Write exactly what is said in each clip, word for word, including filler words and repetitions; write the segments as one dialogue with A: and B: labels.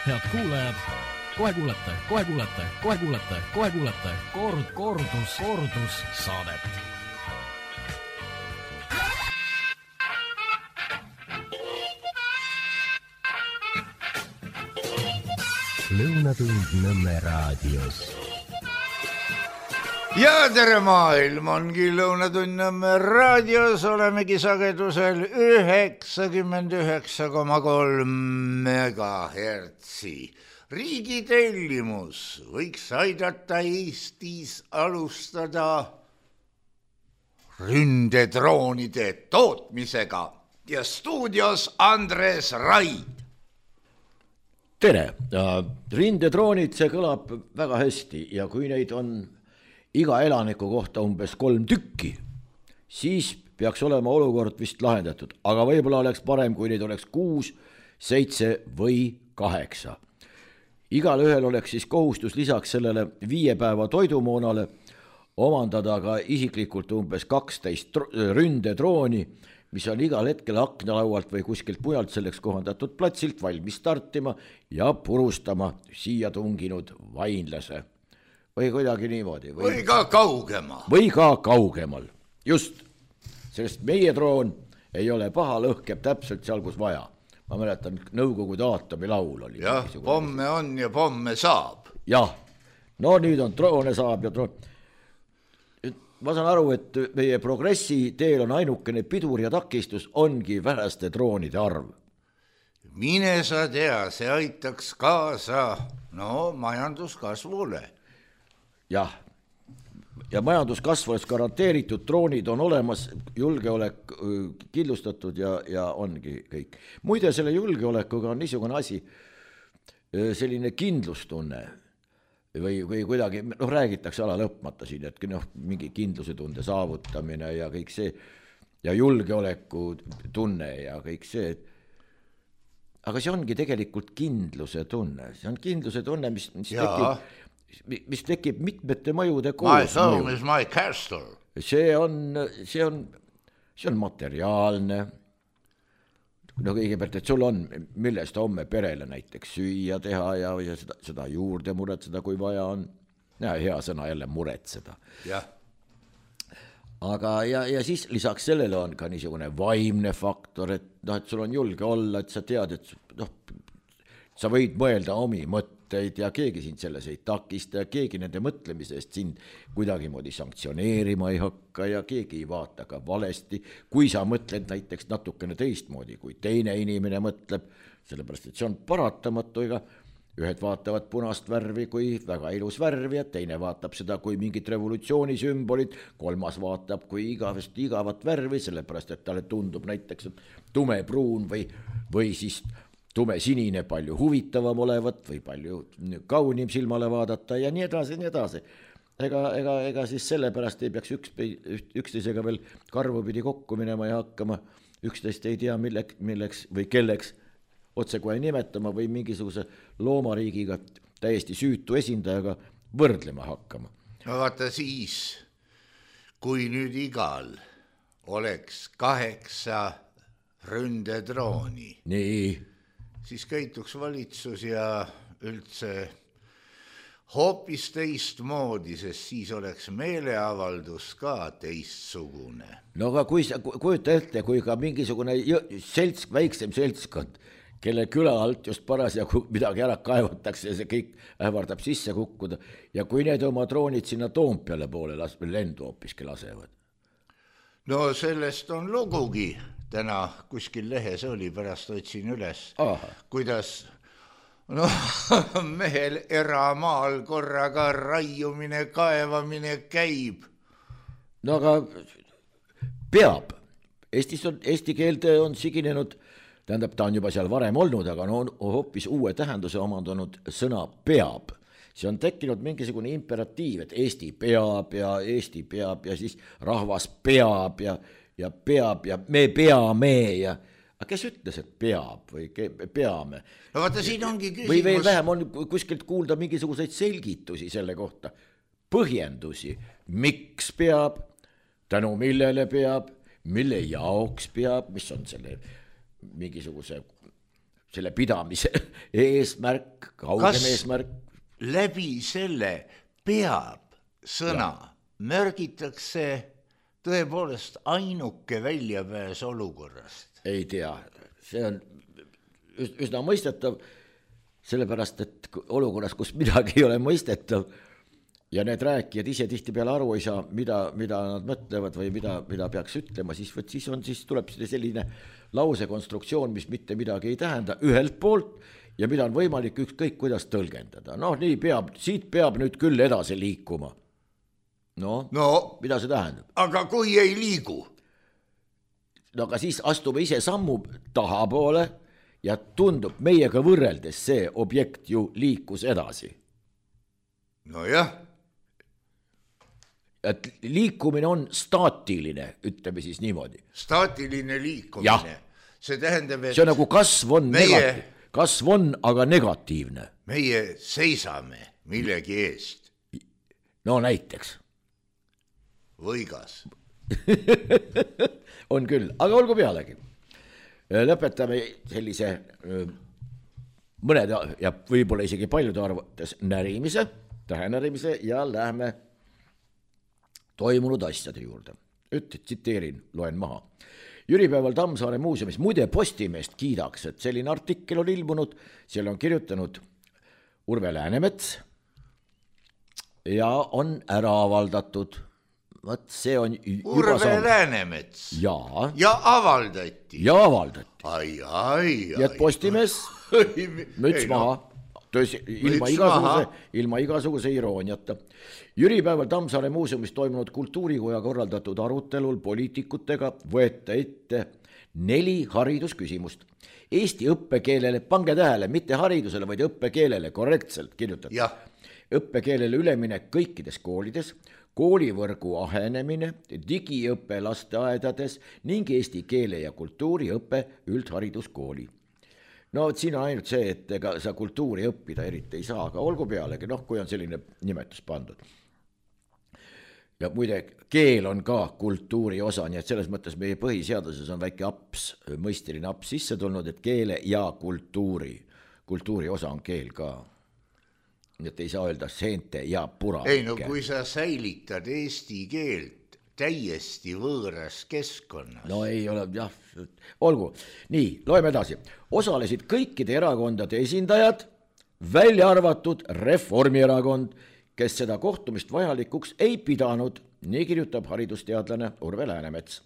A: Head kuulajad, kohe kuulete, kohe kuulete, kohe kuulete, kohe kuulete kord, kordus, kordus saadet.
B: Lõunatund Nõmme raadios.
C: Ja tere maailm ongi Lõunatund Nõmme raadios, olemegi sagedusel üheksakümmend üheksa koma kolm megahertsi. Riigi tellimus võiks aidata Eestis alustada ründedroonide tootmisega ja stuudios Andres Raid.
D: Tere, rindedroonid, see kõlab väga hästi ja kui neid on iga elaniku kohta umbes kolm tükki, siis peaks olema olukord vist lahendatud, aga võib-olla oleks parem, kui neid oleks kuus, seitse või kaheksa. Igal ühel oleks siis kohustus lisaks sellele viie päeva toidumoonale omandada ka isiklikult umbes kaksteist ründedrooni, mis on igal hetkel aknalaualt või kuskilt mujalt selleks kohandatud platsilt valmis startima ja purustama siia tunginud vainlase. Või kuidagi niimoodi.
C: Või, või ka kaugemal.
D: Või ka kaugemal, just. Sest meie droon ei ole paha, lõhkeb täpselt seal, kus vaja. Ma mäletan, Nõukogude aatomi laul oli.
C: Jah, pomme on ja pomme saab.
D: Jah, no nüüd on droone saab ja droon. Ma saan aru, et meie progressi teel on ainukene pidur ja takistus ongi väheste droonide arv.
C: Mine sa tea, see aitaks kaasa no, majanduskasvule.
D: Jah, ja majanduskasv oleks garanteeritud, droonid on olemas, julgeolek killustatud ja, ja ongi kõik. Muide, selle julgeolekuga on niisugune asi, selline kindlustunne või, või kuidagi, noh, räägitakse ala lõpmata siin, et noh, mingi kindluse tunde saavutamine ja kõik see ja julgeoleku tunne ja kõik see. Aga see ongi tegelikult kindluse tunne, see on kindluse tunne, mis, mis tekib mis tekib mitmete mõjude koos.
C: My home is my castle.
D: See on, see on, see on materiaalne. No kõigepealt, et sul on, millest homme perele näiteks süüa teha ja, ja seda, seda juurde muretseda, kui vaja on. Ja hea sõna jälle muretseda.
C: Jah.
D: Aga ja, ja siis lisaks sellele on ka niisugune vaimne faktor, et, no, et sul on julge olla, et sa tead, et noh, sa võid mõelda omi mõtteid ja keegi sind selles ei takista ja keegi nende mõtlemisest sind kuidagi moodi sanktsioneerima ei hakka ja keegi ei vaata ka valesti, kui sa mõtled näiteks natukene teistmoodi, kui teine inimene mõtleb, sellepärast et see on paratamatu, ega ühed vaatavad punast värvi kui väga ilus värvi ja teine vaatab seda kui mingit revolutsioonisümbolit, kolmas vaatab kui igavest igavat värvi, sellepärast et talle tundub näiteks tumepruun või, või siis tume sinine palju huvitavam olevat või palju kaunim silmale vaadata ja nii edasi, nii edasi. Ega, ega, ega siis sellepärast ei peaks üks, üksteisega veel karvupidi kokku minema ja hakkama üksteist ei tea milleks, milleks või kelleks otse kohe nimetama või mingisuguse loomariigiga täiesti süütu esindajaga võrdlema hakkama.
C: No vaata siis, kui nüüd igal oleks kaheksa ründedrooni.
D: Nii.
C: Siis käituks valitsus ja üldse hoopis teistmoodi, sest siis oleks meeleavaldus ka teistsugune.
D: No aga kui sa kujuta ette, kui ka mingisugune selts, väiksem seltskond, kelle küla alt just parasjagu midagi ära kaevatakse ja see kõik ähvardab sisse kukkuda ja kui need oma droonid sinna Toompeale poole las, lendu hoopiski lasevad.
C: No sellest on lugugi. Täna kuskil lehes oli, pärast otsin üles,
D: Aha.
C: kuidas no, mehel eramaal korraga raiumine, kaevamine käib.
D: No aga peab. Eestis on, eesti keelde on siginenud, tähendab, ta on juba seal varem olnud, aga on hoopis uue tähenduse omandanud sõna peab. See on tekkinud mingisugune imperatiiv, et Eesti peab ja Eesti peab ja siis rahvas peab ja ja peab ja me peame ja aga kes ütles, et peab või peame?
C: No vaata, siin ongi küsimus.
D: Või veel vähem on kuskilt kuulda mingisuguseid selgitusi selle kohta, põhjendusi, miks peab, tänu millele peab, mille jaoks peab, mis on selle mingisuguse selle pidamise eesmärk, kaugem
C: Kas
D: eesmärk.
C: Läbi selle peab sõna ja. Märgitakse tõepoolest ainuke väljapääs olukorrast?
D: Ei tea, see on üsna mõistetav, sellepärast, et olukorras, kus midagi ei ole mõistetav ja need rääkijad ise tihti peale aru ei saa, mida, mida nad mõtlevad või mida, mida peaks ütlema, siis, võt, siis, on, siis tuleb selline lausekonstruktsioon, mis mitte midagi ei tähenda ühelt poolt ja mida on võimalik ükskõik kuidas tõlgendada. Noh, nii peab, siit peab nüüd küll edasi liikuma. No,
C: no,
D: mida see tähendab?
C: Aga kui ei liigu?
D: No aga siis astume ise sammu tahapoole ja tundub meiega võrreldes see objekt ju liikus edasi.
C: No jah.
D: Et liikumine on staatiline, ütleme siis niimoodi.
C: Staatiline liikumine. Ja. See tähendab, et
D: see on nagu kasv on, meie, negatiiv, kasv on aga negatiivne.
C: Meie seisame millegi eest.
D: No näiteks.
C: Võigas.
D: On küll, aga olgu pealegi. Lõpetame sellise mõned ja võib-olla isegi paljude arvates närimise, tähenärimise ja lähme toimunud asjade juurde. Üt, tsiteerin, loen maha. Jüripäeval Tammsaare muuseumis, muide Postimeest kiidaks, et selline artikkel on ilmunud, seal on kirjutanud Urve Läänemets ja on ära avaldatud. Võt, see on
C: Urve saanud... Läänemets
D: ja.
C: ja avaldati
D: ja avaldati
C: ai, ai,
D: ja et Postimees müts maha tõsi, ilma, igasuguse, ilma igasuguse irooniata. Jüripäeval Tammsaare muuseumis toimunud kultuurikoja korraldatud arutelul poliitikutega võeta ette neli haridusküsimust. Eesti õppekeelele, pange tähele, mitte haridusele, vaid õppekeelele korrektselt kirjutatud. Õppekeelele üleminek kõikides koolides, koolivõrgu ahenemine, digiõppe lasteaedades ning eesti keele ja kultuuri õppe üldhariduskooli. No siin on ainult see, et ega sa kultuuri õppida eriti ei saa, aga olgu pealegi, noh, kui on selline nimetus pandud. Ja muide, keel on ka kultuuri osa, nii et selles mõttes meie põhiseaduses on väike aps, mõisteline aps sisse tulnud, et keele ja kultuuri, kultuuri osa on keel ka. Nii et ei saa öelda seente ja purake.
C: Ei no kui sa säilitad eesti keelt täiesti võõras keskkonnas.
D: No ei ole, jah, olgu. Nii, loeme edasi. Osalesid kõikide erakondade esindajad, välja arvatud Reformierakond, kes seda kohtumist vajalikuks ei pidanud, nii kirjutab haridusteadlane Urve Läänemets.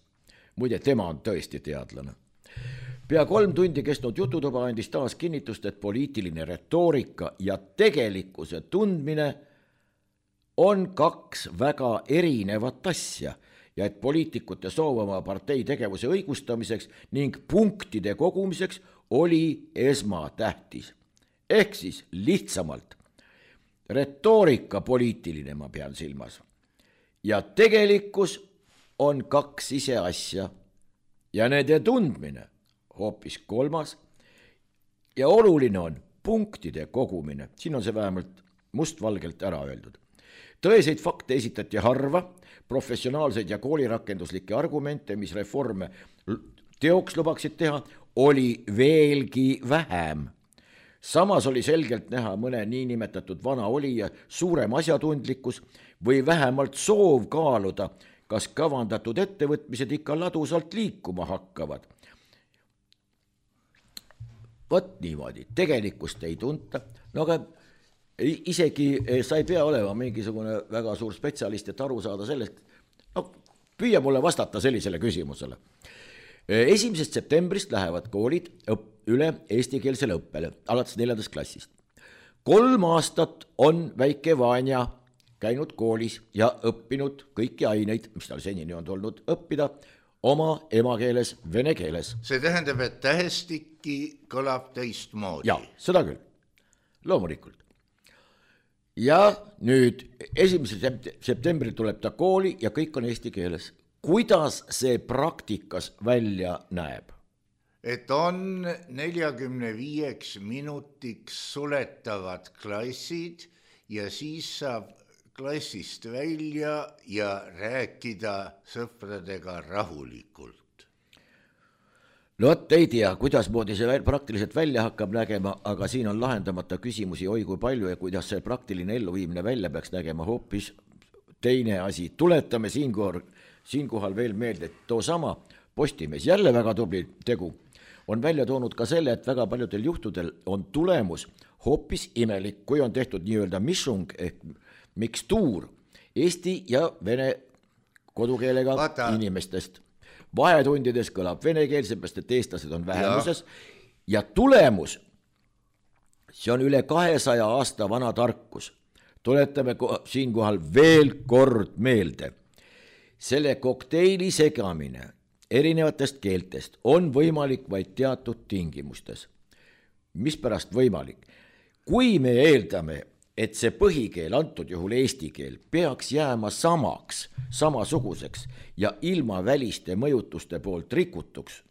D: Muide, tema on tõesti teadlane. Pea kolm tundi kestnud jututuba andis taas kinnitust, et poliitiline retoorika ja tegelikkuse tundmine on kaks väga erinevat asja ja et poliitikute soov oma partei tegevuse õigustamiseks ning punktide kogumiseks oli esmatähtis. Ehk siis lihtsamalt retoorika poliitiline ma pean silmas ja tegelikkus on kaks ise asja ja nende tundmine hoopis kolmas ja oluline on punktide kogumine. Siin on see vähemalt mustvalgelt ära öeldud. Tõeseid fakte esitati harva, professionaalseid ja koolirakenduslikke argumente, mis reforme teoks lubaksid teha, oli veelgi vähem. Samas oli selgelt näha mõne niinimetatud vana olija suurem asjatundlikkus või vähemalt soov kaaluda, kas kavandatud ettevõtmised ikka ladusalt liikuma hakkavad. Võt niimoodi, tegelikkust ei tunta, no aga isegi sa ei pea olema mingisugune väga suur spetsialist, et aru saada sellest, no püüa mulle vastata sellisele küsimusele. Esimesest septembrist lähevad koolid üle eestikeelsele õppele, alates neljandast klassist. Kolm aastat on väike Vanja käinud koolis ja õppinud kõiki aineid, mis tal senini on tulnud õppida, oma emakeeles, vene keeles.
C: See tähendab, et tähestikki kõlab teistmoodi.
D: Ja, seda küll, loomulikult. Ja nüüd esimesel septembril tuleb ta kooli ja kõik on eesti keeles. Kuidas see praktikas välja näeb?
C: Et on neljakümne viieks minutiks suletavad klassid ja siis saab klassist välja ja rääkida sõpradega rahulikult.
D: no vot ei tea, kuidas moodi see praktiliselt välja hakkab nägema, aga siin on lahendamata küsimusi oi kui palju ja kuidas see praktiline elluviimine välja peaks nägema hoopis teine asi. Tuletame siinkohal, siinkohal veel meelde, et too sama Postimees, jälle väga tubli tegu, on välja toonud ka selle, et väga paljudel juhtudel on tulemus hoopis imelik, kui on tehtud nii-öelda mishung ehk mikstuur eesti ja vene kodukeelega Vaata. Inimestest. Vahetundides kõlab venekeel, seepärast, et eestlased on vähemuses ja. ja tulemus, see on üle kahesaja aasta vana tarkus. Tuletame siinkohal veel kord meelde. Selle kokteili segamine erinevatest keeltest on võimalik vaid teatud tingimustes. Mispärast võimalik? Kui me eeldame, et see põhikeel, antud juhul eesti keel, peaks jääma samaks, samasuguseks ja ilma väliste mõjutuste poolt rikutuks,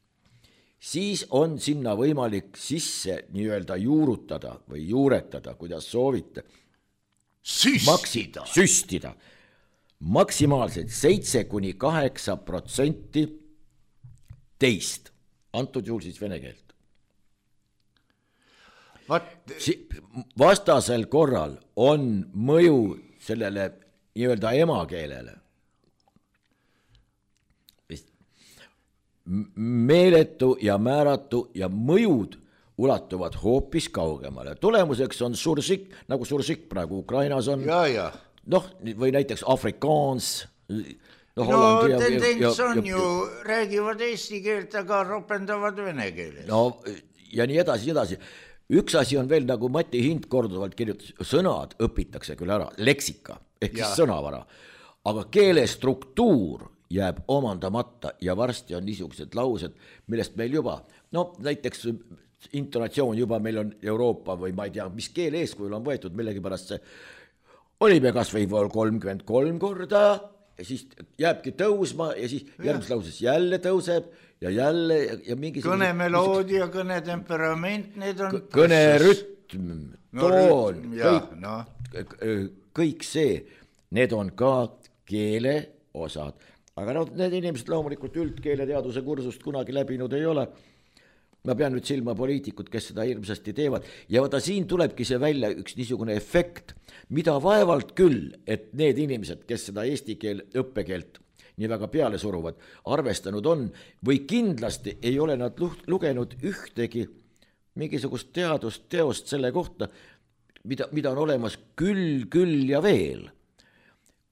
D: siis on sinna võimalik sisse nii-öelda juurutada või juuretada, kuidas soovite.
C: Süstida.
D: Maksi, süstida. Maksimaalselt seitse kuni kaheksa protsenti teist, antud juhul siis vene keelt.
C: Vat...
D: Vastasel korral on mõju sellele nii-öelda emakeelele. Meeletu ja määratu ja mõjud ulatuvad hoopis kaugemale. Tulemuseks on sursik, nagu sursik praegu Ukrainas on.
C: Ja, ja.
D: Noh, või näiteks afrikaans.
C: No, no tendents on ju, räägivad eesti keelt, aga ropendavad vene keeles.
D: No ja nii edasi, nii edasi. Üks asi on veel, nagu Mati Hind korduvalt kirjutas, sõnad õpitakse küll ära, leksika, ehk ja. Siis sõnavara, aga keele struktuur jääb omandamata ja varsti on niisugused laused, millest meil juba, no näiteks intonatsioon juba meil on Euroopa või ma ei tea, mis keele eeskujul on võetud millegipärast see, olime kas või kolmkümmend kolm korda, ja siis jääbki tõusma ja siis järgmises lauses jälle tõuseb ja jälle ja mingi
C: kõnemeloodia, kõnetemperament, need on
D: kõnerütm, toon,
C: no, ja,
D: kõik,
C: no.
D: kõik see, need on ka keele osad, aga no, need inimesed loomulikult üldkeeleteaduse kursust kunagi läbinud ei ole. Ma pean nüüd silma poliitikud, kes seda hirmsasti teevad ja vaata siin tulebki see välja üks niisugune efekt, mida vaevalt küll, et need inimesed, kes seda eesti keel õppekeelt nii väga peale suruvad, arvestanud on või kindlasti ei ole nad lugenud ühtegi mingisugust teadust teost selle kohta, mida, mida on olemas küll, küll ja veel.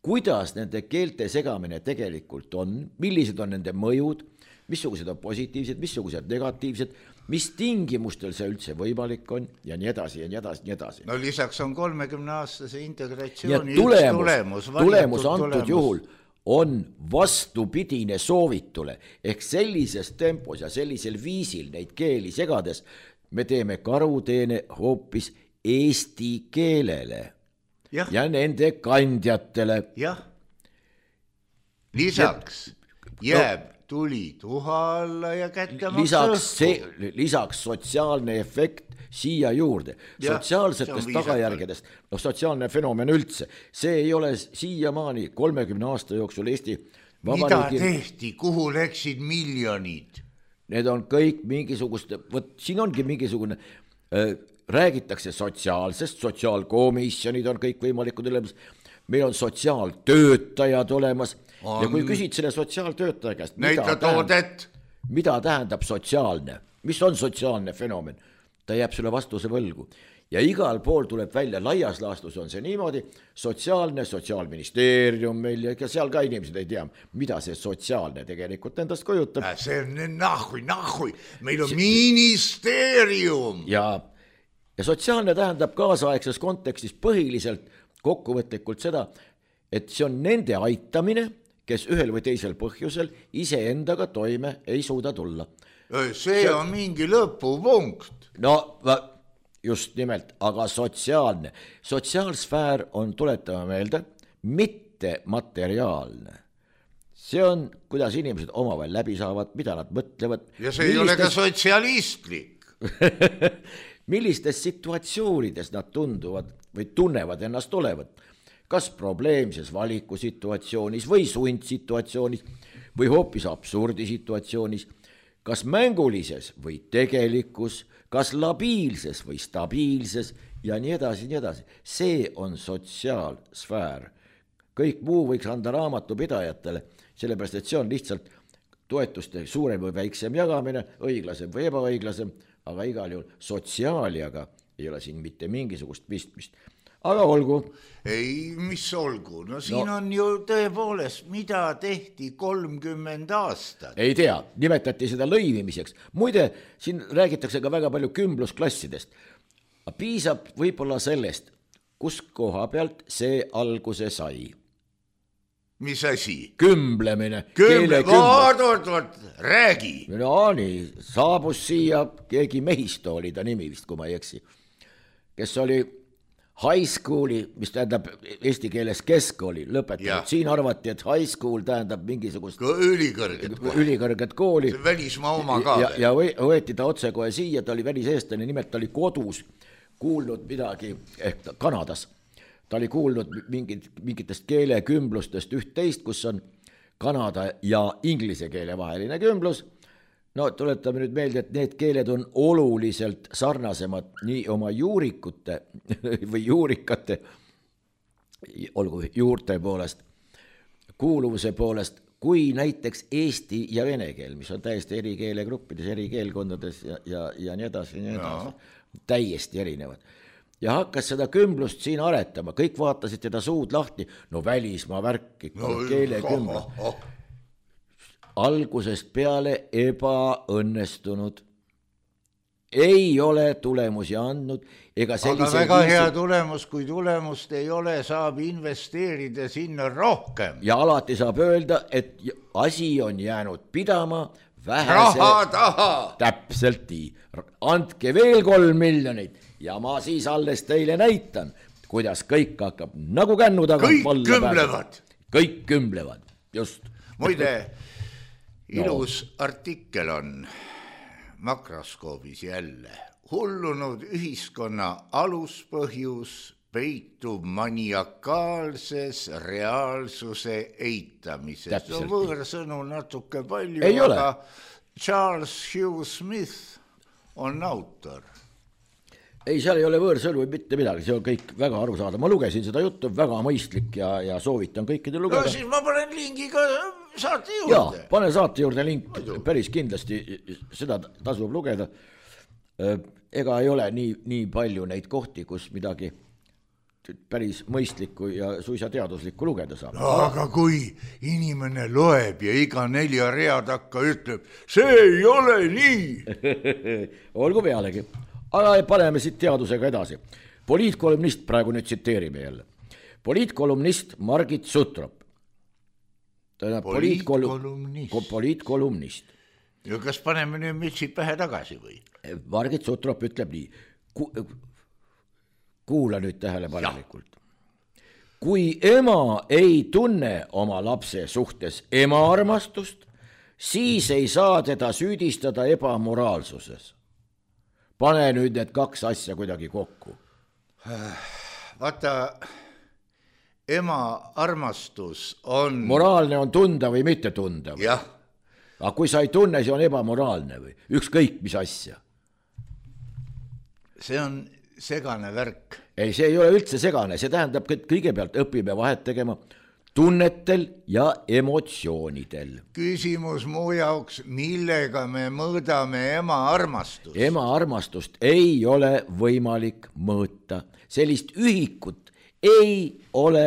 D: Kuidas nende keelte segamine tegelikult on, millised on nende mõjud, missugused on positiivsed, missugused negatiivsed, mis tingimustel see üldse võimalik on ja nii edasi ja nii edasi, nii edasi.
C: No lisaks on kolmekümne aastase integratsiooni
D: tulemus,
C: tulemus,
D: tulemus antud tulemus. Juhul on vastupidine soovitule ehk sellises tempos ja sellisel viisil neid keeli segades me teeme karuteene hoopis eesti keelele ja, ja nende kandjatele.
C: Jah, lisaks ja, jääb no, tuli tuha alla ja kättemaks
D: lisaks, see, lisaks sotsiaalne efekt siia juurde. Ja, sotsiaalsetest tagajärgedest, no sotsiaalne fenomen üldse, see ei ole siiamaani kolmekümne aasta jooksul Eesti
C: Vabariigi... Mida tehti, kuhu läksid miljonid?
D: Need on kõik mingisugust, võt, siin ongi mingisugune, äh, räägitakse sotsiaalsest, sotsiaalkomisjonid on kõik võimalikud olemas, meil on sotsiaaltöötajad olemas, on. Ja kui küsid selle sotsiaaltöötaja käest, mida tähendab, mida tähendab sotsiaalne, mis on sotsiaalne fenomen, ta jääb sulle vastuse võlgu. Ja igal pool tuleb välja, laias laastus on see niimoodi, sotsiaalne, sotsiaalministeerium meil ja seal ka inimesed ei tea, mida see sotsiaalne tegelikult endast kujutab.
C: See on nahui, nahui, meil on see... ministeerium.
D: Ja, ja sotsiaalne tähendab kaasaegses kontekstis põhiliselt kokkuvõtlikult seda, et see on nende aitamine, kes ühel või teisel põhjusel iseendaga toime ei suuda tulla.
C: See, see on mingi lõpupunkt.
D: No just nimelt, aga sotsiaalne. Sotsiaalsfäär on, tuletama meelde, mitte materiaalne. See on, kuidas inimesed omavahel läbi saavad, mida nad mõtlevad.
C: Ja see millistes... ei ole ka sotsialistlik.
D: Millistes situatsioonides nad tunduvad või tunnevad ennast olevat. Kas probleemses valikusituatsioonis või sundsituatsioonis või hoopis absurdisituatsioonis. kas mängulises või tegelikus, kas labiilses või stabiilses ja nii edasi, nii edasi. See on sotsiaalsfäär. Kõik muu võiks anda raamatupidajatele, sellepärast et see on lihtsalt toetuste suurem või väiksem jagamine, õiglasem või ebaõiglasem, aga igal juhul sotsiaaliaga ei ole siin mitte mingisugust pistmist. Aga olgu.
C: Ei, mis olgu, no siin no, on ju tõepoolest, mida tehti kolmkümmend aastat.
D: Ei tea, nimetati seda lõivimiseks. Muide, siin räägitakse ka väga palju kümblusklassidest. Piisab võib-olla sellest, kus koha pealt see alguse sai.
C: Mis asi?
D: Kümblemine.
C: Kümble, vaat, vaat, vaat, räägi.
D: No nii, saabus siia keegi Mehisto oli ta nimi vist, kui ma ei eksi, kes oli high schooli, mis tähendab eesti keeles keskkooli lõpetanud. Siin arvati, et high school tähendab mingisugust
C: ülikõrget kooli.
D: Ülikõrget kooli.
C: See välismaa oma ka.
D: Ja, ja võeti ta otse kohe siia, ta oli väliseestlane, nimelt ta oli kodus kuulnud midagi, ehk Kanadas. Ta oli kuulnud mingid, mingitest keelekümblustest üht-teist, kus on kanada ja inglise keele vaheline kümblus. No tuletame nüüd meelde, et need keeled on oluliselt sarnasemad nii oma juurikute või juurikate, olgu juurte poolest, kuuluvuse poolest, kui näiteks eesti ja vene keel, mis on täiesti eri keelegruppides, eri keelkondades ja, ja, ja nii edasi, nii edasi. No. Täiesti erinevad. Ja hakkas seda kümblust siin aretama, kõik vaatasid teda suud lahti, no välismaa värk, ikka no, keelekümblus. Oh, oh. Algusest peale ebaõnnestunud. Ei ole tulemusi andnud. Ega
C: aga väga viisi... hea tulemus, kui tulemust ei ole, saab investeerida sinna rohkem.
D: Ja alati saab öelda, et asi on jäänud pidama vähese...
C: Raha taha!
D: Täpselt nii. Andke veel kolm miljonit ja ma siis alles teile näitan, kuidas kõik hakkab nagu kännu tagant
C: kõik kümblevad.
D: Kõik kümblevad, just.
C: Muide, ilus no. Artikkel on makroskoobis jälle. Hullunud ühiskonna aluspõhjus peitub maniakaalses reaalsuse eitamises. No võõrsõnu natuke palju,
D: ei
C: aga Charles Hugh Smith on autor.
D: Ei, seal ei ole võõrsõnu või mitte midagi, see on kõik väga arusaadav. Ma lugesin seda juttu, väga mõistlik ja, ja soovitan kõikide lugeda.
C: No siis ma panen lingi ka saate juurde.
D: Jaa, pane saate juurde link, päris kindlasti seda tasub lugeda. Ega ei ole nii, nii palju neid kohti, kus midagi päris mõistlikku ja suisa teaduslikku lugeda saab.
C: No, aga kui inimene loeb ja iga nelja rea takka ütleb, see ei ole nii.
D: Olgu pealegi. Aga paneme siit teadusega edasi. Poliitkolumnist, praegu nüüd tsiteerime jälle. Poliitkolumnist Margit Sutrop.
C: Poliitkolumnist.
D: Poliitkolumnist.
C: Ja kas paneme nüüd mütsid pähe tagasi või?
D: Margit Sutrop ütleb nii. Ku, kuula nüüd tähelepanelikult. Kui ema ei tunne oma lapse suhtes ema armastust, siis ei saa teda süüdistada ebamoraalsuses. Pane nüüd need kaks asja kuidagi kokku.
C: Vaata, ema armastus on...
D: Moraalne on tunda või mitte tunda. Või?
C: Jah.
D: Aga kui sa ei tunne, see on ebamoraalne või? Ükskõik mis asja.
C: See on segane värk.
D: Ei, see ei ole üldse segane. See tähendab, et kõigepealt õpime vahet tegema tunnetel ja emotsioonidel.
C: Küsimus muu jaoks, millega me mõõdame ema armastust?
D: Ema armastust ei ole võimalik mõõta. Sellist ühikut ei ole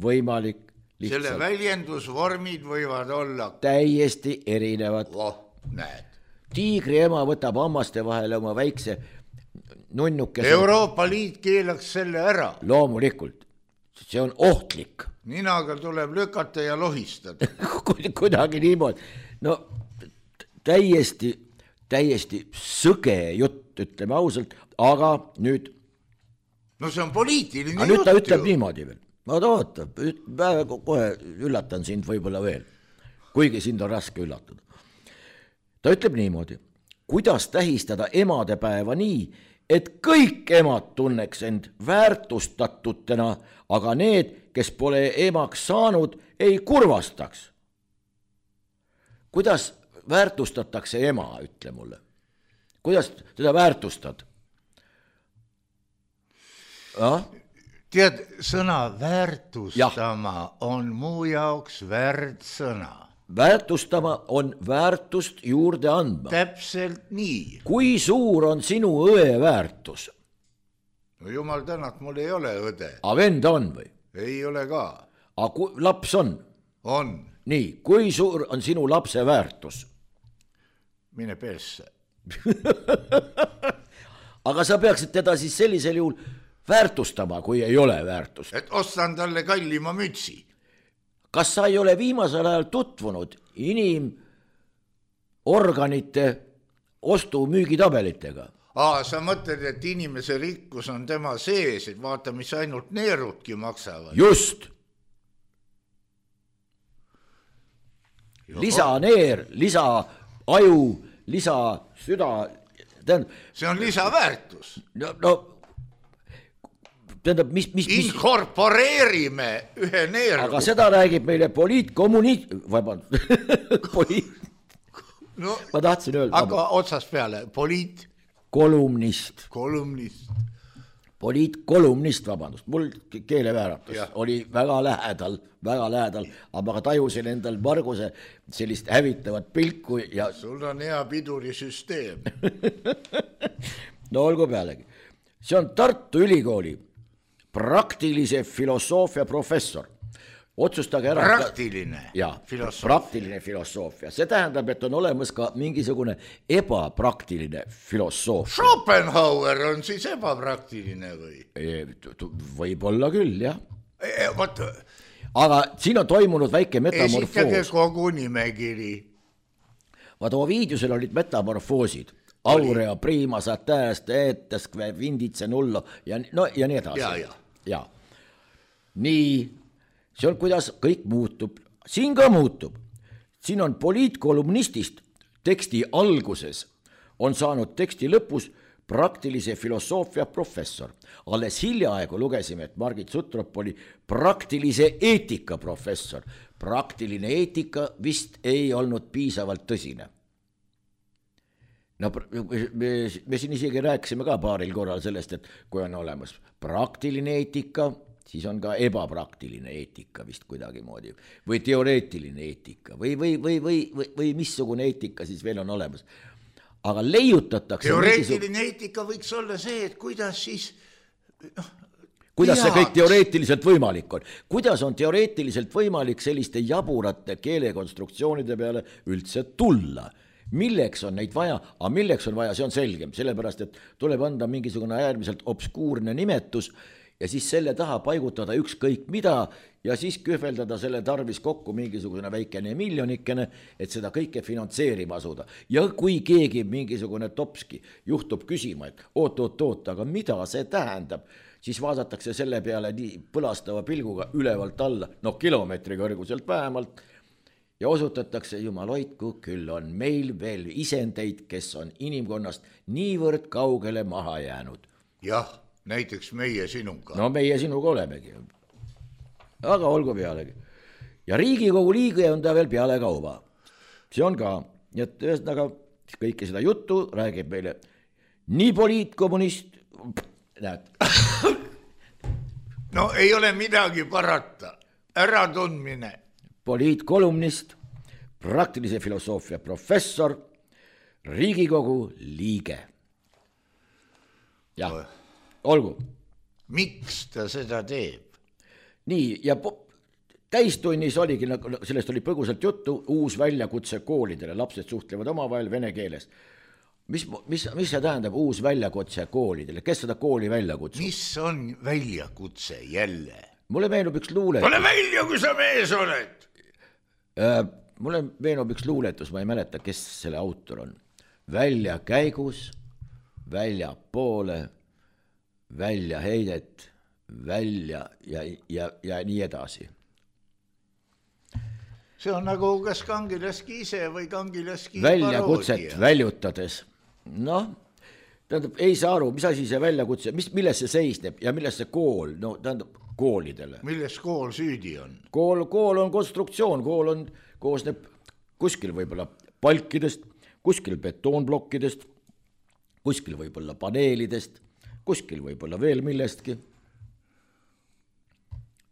D: võimalik lihtsalt.
C: Selle väljendusvormid võivad olla
D: täiesti erinevad.
C: Oh, näed.
D: Tiigri ema võtab hammaste vahele oma väikse nunnukese.
C: Euroopa Liit keelaks selle ära.
D: Loomulikult. See on ohtlik.
C: Ninaga tuleb lükata ja lohistada.
D: Kuidagi niimoodi. No täiesti, täiesti sõge jutt, ütleme ausalt, aga nüüd...
C: No see on poliitiline
D: jutt. Nüüd ta ütleb ju niimoodi veel. Ma toota, kohe üllatan sind võib-olla veel, kuigi sind on raske üllatada. Ta ütleb niimoodi, kuidas tähistada emadepäeva nii, et kõik emad tunneks end väärtustatutena, aga need, kes pole emaks saanud, ei kurvastaks. Kuidas väärtustatakse ema, ütle mulle. Kuidas teda väärtustad? Ah?
C: Tead, sõna väärtustama ja. On muu jaoks väärsõna.
D: Väärtustama on väärtust juurde andma.
C: Täpselt nii.
D: Kui suur on sinu õe väärtus?
C: No jumal tänat, mul ei ole õde.
D: A venda on või?
C: Ei ole ka.
D: A ku, laps on?
C: On.
D: Nii, kui suur on sinu lapse väärtus?
C: Mine persse.
D: Aga sa peaksid teda siis sellisel juhul väärtustama, kui ei ole väärtust.
C: Et ostan talle kallima mütsi.
D: Kas sa ei ole viimasel ajal tutvunud inimorganite ostu-müügitabelitega?
C: Aa, sa mõtled, et inimese rikkus on tema sees, et vaata, mis ainult neerudki maksavad.
D: Just. Lisa neer, lisa aju, lisa süda. Tähendab,
C: see on lisaväärtus.
D: No, no tähendab, mis, mis, mis...
C: Inkorporeerime ühe neeru.
D: Aga seda räägib meile poliitkommuniit... Vaband. Poliit...
C: No,
D: ma tahtsin öelda.
C: Aga otsast peale. Poliit...
D: Kolumnist.
C: Kolumnist.
D: Poliitkolumnist, vabandust. Mul keelevääratus ja. Oli väga lähedal, väga lähedal, aga tajusin endal Marguse sellist hävitavat pilku ja...
C: Sul on hea pidurisüsteem.
D: No olgu pealegi. See on Tartu Ülikooli praktilise filosoofia professor. Otsustage ära.
C: Praktiline
D: ja,
C: filosoofia.
D: Praktiline filosoofia. See tähendab, et on olemas ka mingisugune ebapraktiline filosoofia.
C: Schopenhauer on siis ebapraktiline või?
D: Võib-olla küll, jah.
C: E, võt...
D: Aga siin on toimunud väike metamorfoos.
C: Esitage kogu nimekiri.
D: Vaata, Ovidiusel olid metamorfoosid. Aurea, prima, satääst, eetäskve, vinditse, nullo ja, no, ja nii edasi.
C: Ja, ja.
D: Ja. Nii, see on, kuidas kõik muutub. Siin ka muutub. Siin on poliitkolumnistist teksti alguses on saanud teksti lõpus praktilise filosoofia professor. Alles hiljaaegu lugesime, et Margit Sutrop oli praktilise eetika professor. Praktiline eetika vist ei olnud piisavalt tõsine. No, me, me siin isegi rääkisime ka paaril korral sellest, et kui on olemas praktiline eetika, siis on ka ebapraktiline eetika vist kuidagi moodi. Või teoreetiline eetika või, või, või, või, või, või missugune eetika siis veel on olemas. Aga leiutatakse...
C: Teoreetiline mingisug... eetika võiks olla see, et kuidas siis... No,
D: kuidas see kõik teoreetiliselt võimalik on? Kuidas on teoreetiliselt võimalik selliste jaburate keelekonstruktsioonide peale üldse tulla? Milleks on neid vaja, aga milleks on vaja, see on selgem, sellepärast, et tuleb anda mingisugune äärmiselt obskuurne nimetus ja siis selle taha paigutada ükskõik mida ja siis kühveldada selle tarvis kokku mingisugune väikene miljonikene, et seda kõike finantseerima asuda. Ja kui keegi mingisugune topski juhtub küsima, et oot, oot, oot, aga mida see tähendab, siis vaadatakse selle peale nii põlastava pilguga ülevalt alla, no kilomeetri kõrguselt vähemalt, ja osutatakse, jumal hoidku, küll on meil veel isendeid, kes on inimkonnast niivõrd kaugele maha jäänud.
C: Jah, näiteks meie sinuga.
D: No meie sinuga olemegi. Aga olgu pealegi. Ja Riigikogu liige on ta veel peale kauba. See on ka. Ja ühesõnaga kõike seda juttu räägib meile nii poliitkommunist. Näed.
C: No ei ole midagi parata. Ära tundmine.
D: Poliitkolumnist, praktilise filosoofia professor, Riigikogu liige. Jah, olgu.
C: Miks ta seda teeb?
D: Nii, ja täistunnis oligi, sellest oli põgusalt juttu, uus väljakutse koolidele. Lapsed suhtlevad omavahel vene keeles. Mis, mis, mis see tähendab uus väljakutse koolidele? Kes seda kooli väljakutse?
C: Mis on väljakutse jälle?
D: Mulle meenub üks luuletus.
C: Ole välja, kui sa mees oled!
D: Äh, mulle meenub üks luuletus, ma ei mäleta, kes selle autor on. Välja käigus, välja poole, välja heidet, välja ja, ja, ja nii edasi.
C: See on nagu kas Kangilaski ise või Kangilaski
D: väljakutset
C: paroodia.
D: Väljutades. Noh, tähendab, ei saa aru, mis asi see väljakutse, mis, milles see seisneb ja milles see kool, no tähendab, koolidele.
C: Milles kool süüdi on?
D: Kool, kool on konstruktsioon, kool on, koosneb kuskil võib-olla palkidest, kuskil betoonplokkidest, kuskil võib-olla paneelidest, kuskil võib-olla veel millestki.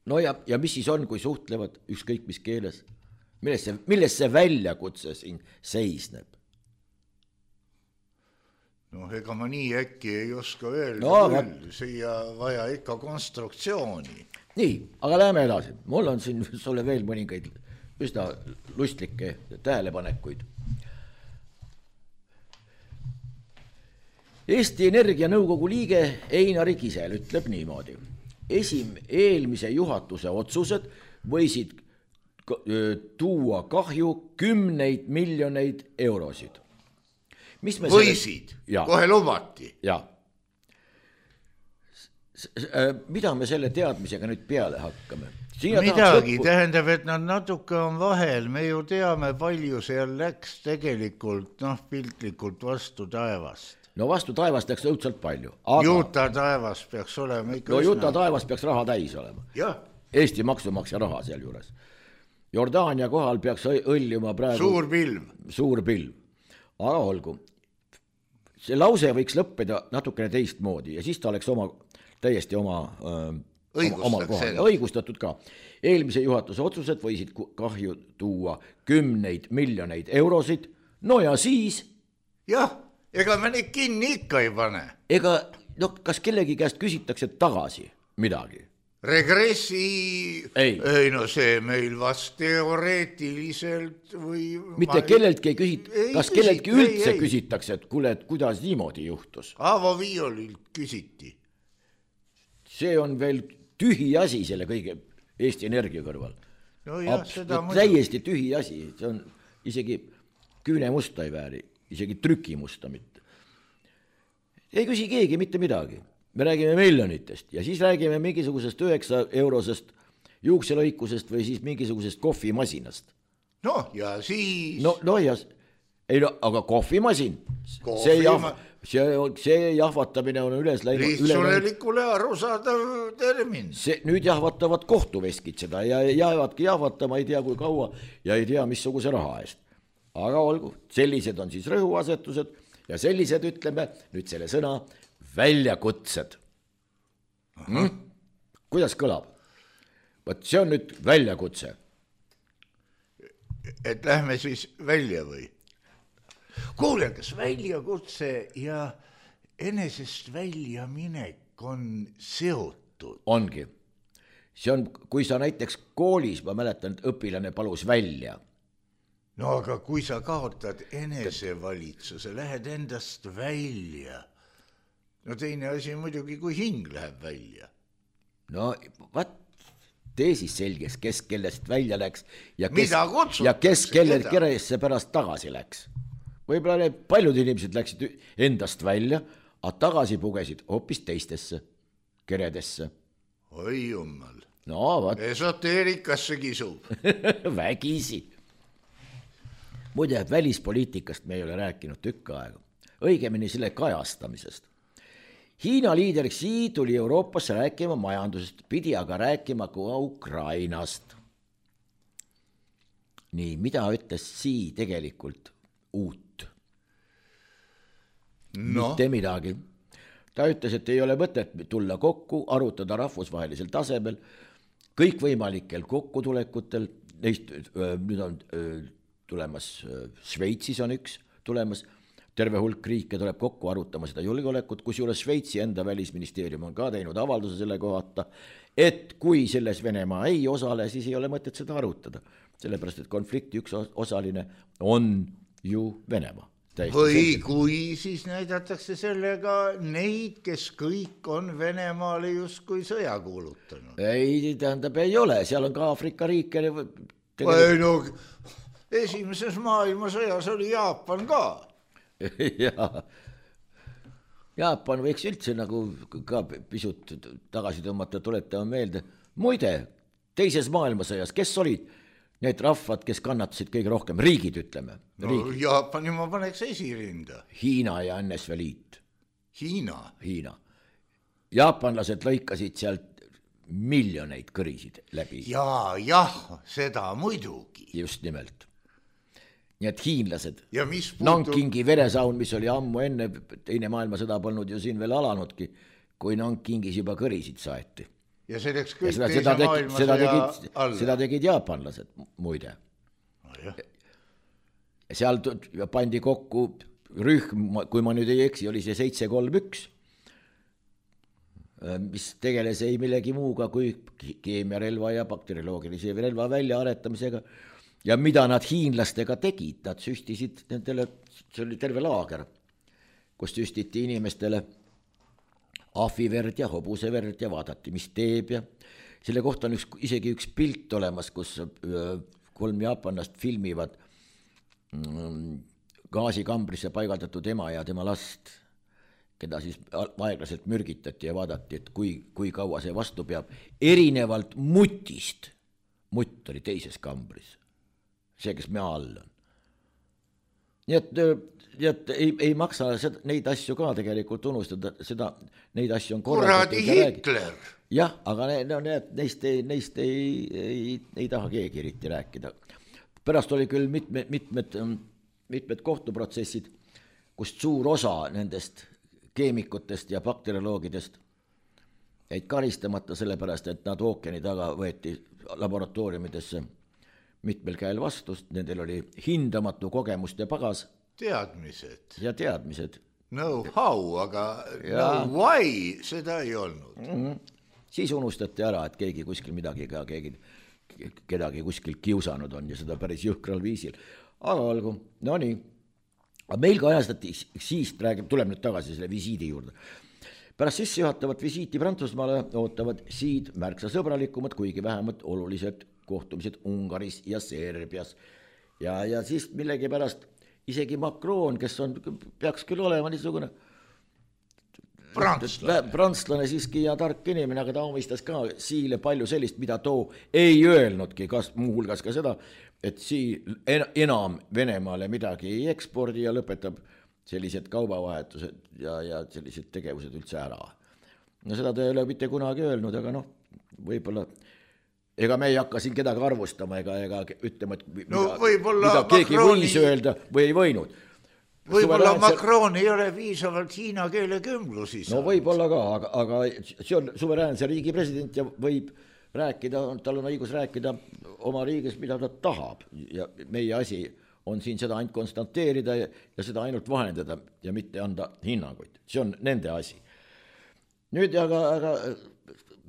D: No ja, ja mis siis on, kui suhtlevad ükskõik mis keeles? Milles see, milles see väljakutse siin seisneb?
C: No ega ma nii äkki ei oska öelda
D: no,
C: küll, siia vaja ikka konstruktsiooni.
D: Nii, aga läheme edasi. Mul on siin sulle veel mõningaid üsna lustlikke tähelepanekuid. Eesti Energia nõukogu liige Einari Kisel ütleb niimoodi. Esim eelmise juhatuse otsused võisid tuua kahju kümneid miljoneid eurosid. Mis me
C: võisid,
D: selle...
C: kohe lubati.
D: Ja. Mida me selle teadmisega nüüd peale hakkame? Siia
C: midagi, lõppu... tähendab, et nad natuke on vahel, me ju teame, palju seal läks tegelikult, noh, piltlikult vastu taevast.
D: No vastu taevast läks õudselt palju. Aga...
C: Juta taevas peaks olema ikka...
D: No Juta taevas peaks raha täis olema.
C: Ja.
D: Eesti maksumaksja raha seal juures. Jordaania kohal peaks õljuma praegu...
C: Suur pilv.
D: Suur pilv. Aga olgu. See lause võiks lõppeda natukene teistmoodi ja siis ta oleks oma, täiesti oma... Oma õigustatud ka. Eelmise juhatuse otsused võisid kahju tuua kümneid miljoneid eurosid. No ja siis...
C: Jah. Ega me neid kinni ikka ei pane.
D: Ega, no kas kellegi käest küsitakse tagasi midagi?
C: Regressi...
D: Ei.
C: Ei, no see meil vast teoreetiliselt või...
D: Mitte ma... kelleltki ei küsit... Ei, kas kelleltki üldse ei, ei. Küsitakse, et kuule, et kuidas niimoodi juhtus?
C: Aavo Viiolilt küsiti.
D: See on veel tühi asi selle kõige Eesti Energia kõrval.
C: No jah,
D: Abs...
C: seda
D: muidu. Täiesti tühi asi. See on isegi küüne musta ei vääri. Isegi trükimusta mitte. Ei küsi keegi mitte midagi. Me räägime miljonitest ja siis räägime mingisugusest üheksa eurosest juukselõikusest või siis mingisugusest kohvimasinast.
C: No ja siis...
D: No, no ja... Ei no, aga kohvimasin. Kohvi see, jahv... see, see jahvatamine on üles läinud...
C: Lihtsurelikule arusaadav termin.
D: See, nüüd jahvatavad kohtuveskid seda ja jäävadki jahvatama ei tea kui kaua ja ei tea missuguse raha eest. Aga olgu, sellised on siis rõhuasetused ja sellised ütleme nüüd selle sõna väljakutsed. Hmm? Kuidas kõlab? Võt see on nüüd väljakutse.
C: Et lähme siis välja või? Kuule, kas väljakutse ja enesest välja minek on seotud?
D: Ongi. See on, kui sa näiteks koolis, ma mäletan, et õpilane palus välja.
C: No aga kui sa kaotad enesevalitsuse, lähed endast välja. No teine asi muidugi, kui hing läheb välja.
D: No vaat, tee siis selges, kes kellest välja läks ja kes,
C: ja
D: kes kellelt keresse pärast tagasi läks. Võib-olla need paljud inimesed läksid endast välja, aga tagasi pugesid hoopis teistesse keredesse.
C: Oi jummal.
D: No vaat.
C: Esoteerikasse kisub.
D: Vägisi. Muide, välispoliitikast me ei ole rääkinud tükka aega. Õigemini selle kajastamisest. Hiina liider Xi tuli Euroopasse rääkima majandusest, pidi aga rääkima ka Ukrainast. Nii, mida ütles Xi tegelikult uut?
C: No.
D: Mitte midagi. Ta ütles, et ei ole mõtet tulla kokku, arutada rahvusvahelisel tasemel, kõikvõimalikel kokkutulekutel, neist nüüd on... tulemas, Šveitsis on üks tulemas, terve hulk riike tuleb kokku arutama seda julgeolekut, kusjuures Šveitsi enda välisministeerium on ka teinud avalduse selle kohata, et kui selles Venemaa ei osale, siis ei ole mõtet seda arutada, sellepärast et konflikti üks osaline on ju Venemaa.
C: Või selge. Kui siis näidatakse sellega neid, kes kõik on Venemaale justkui sõja kuulutanud.
D: Ei, tähendab, ei ole, seal on ka Aafrika riike.
C: Tegelikult... Ei no... Esimeses maailmasõjas oli Jaapan ka.
D: Jaa. Jaapan võiks üldse nagu ka pisut tagasi tõmmata, tuletama meelde. Muide, teises maailmasõjas, kes olid need rahvad, kes kannatasid kõige rohkem? Riigid, ütleme.
C: No, Jaapani ma paneks esirinda.
D: Hiina ja N S V Liit.
C: Hiina?
D: Hiina. Jaapanlased lõikasid sealt miljoneid kõrisid läbi.
C: Jaa, jah, seda muidugi.
D: Just nimelt. nii et hiinlased,
C: ja mis puutub...
D: Nankingi veresaun, mis oli ammu enne, teine maailmasõda polnud ju siin veel alanudki, kui Nankingis juba kõrisid saeti.
C: Ja selleks kõik
D: ja seda,
C: teise
D: seda tegi,
C: maailmasõja
D: seda tegid,
C: alla.
D: Seda tegid jaapanlased, muide.
C: No, jah.
D: Ja seal pandi kokku rühm, kui ma nüüd ei eksi, oli see seitse kolm üks, mis tegeles ei millegi muuga kui keemiarelva ja bakterioloogilise relva väljaaretamisega. Ja mida nad hiinlastega tegid, nad süstisid nendele, see oli terve laager, kus süstiti inimestele ahviverd ja hobuseverd ja vaadati, mis teeb ja selle kohta on üks, isegi üks pilt olemas, kus kolm jaapanlast filmivad gaasikambrisse paigaldatud ema ja tema last, keda siis aeglaselt mürgitati ja vaadati, et kui, kui kaua see vastu peab, erinevalt mutist, mutt oli teises kambris. See, kes me all on. Nii et, nii et ei, ei maksa seda, neid asju ka tegelikult unustada, seda, neid asju on
C: korraldatud. Kuradi Hitler!
D: Jah, aga ne, no, need, neist, ei, neist ei, ei, ei taha keegi eriti rääkida. Pärast oli küll mitmed, mitmed, mitmed kohtuprotsessid, kust suur osa nendest keemikutest ja bakterioloogidest jäid karistamata sellepärast, et nad ookeani taga võeti laboratooriumidesse mitmel käel vastu, nendel oli hindamatu kogemust ja pagas.
C: Teadmised.
D: Ja teadmised.
C: No how, aga ja. No why, seda ei olnud.
D: Mm-hmm. Siis unustati ära, et keegi kuskil midagi ka, keegi, kedagi kuskil kiusanud on ja seda päris jõhkral viisil. Aga olgu, no nii. Aga meil ka ajastati, siis räägib, tuleb nüüd tagasi selle visiidi juurde. Pärast sissejuhatavat visiiti Prantsusmaale ootavad siid märksa sõbralikumad, kuigi vähemalt olulised kohtumised Ungaris ja Serbias. Ja, ja siis millegi pärast isegi Macron, kes on, peaks küll olema niisugune
C: prantslane.
D: prantslane siiski ja tark inimene, aga ta omistas ka siile palju sellist, mida too ei öelnudki, kas muuhulgas ka seda, et sii enam Venemaale midagi ei ekspordi ja lõpetab sellised kaubavahetused ja, ja sellised tegevused üldse ära. No seda ta ei ole mitte kunagi öelnud, aga noh, võib-olla ega me ei hakka siin kedagi arvustama ega, ega ütlema, et mida,
C: no,
D: mida keegi Macroni... võis öelda või ei võinud.
C: Võib-olla Macron ei ole viisavalt hiina keele kümblusi.
D: No võib-olla ka, aga, aga see on suveräänse riigi president ja võib rääkida, tal on õigus rääkida oma riigis, mida ta tahab. Ja meie asi on siin seda ainult konstanteerida ja, ja seda ainult vahendada ja mitte anda hinnanguid. See on nende asi. Nüüd aga... aga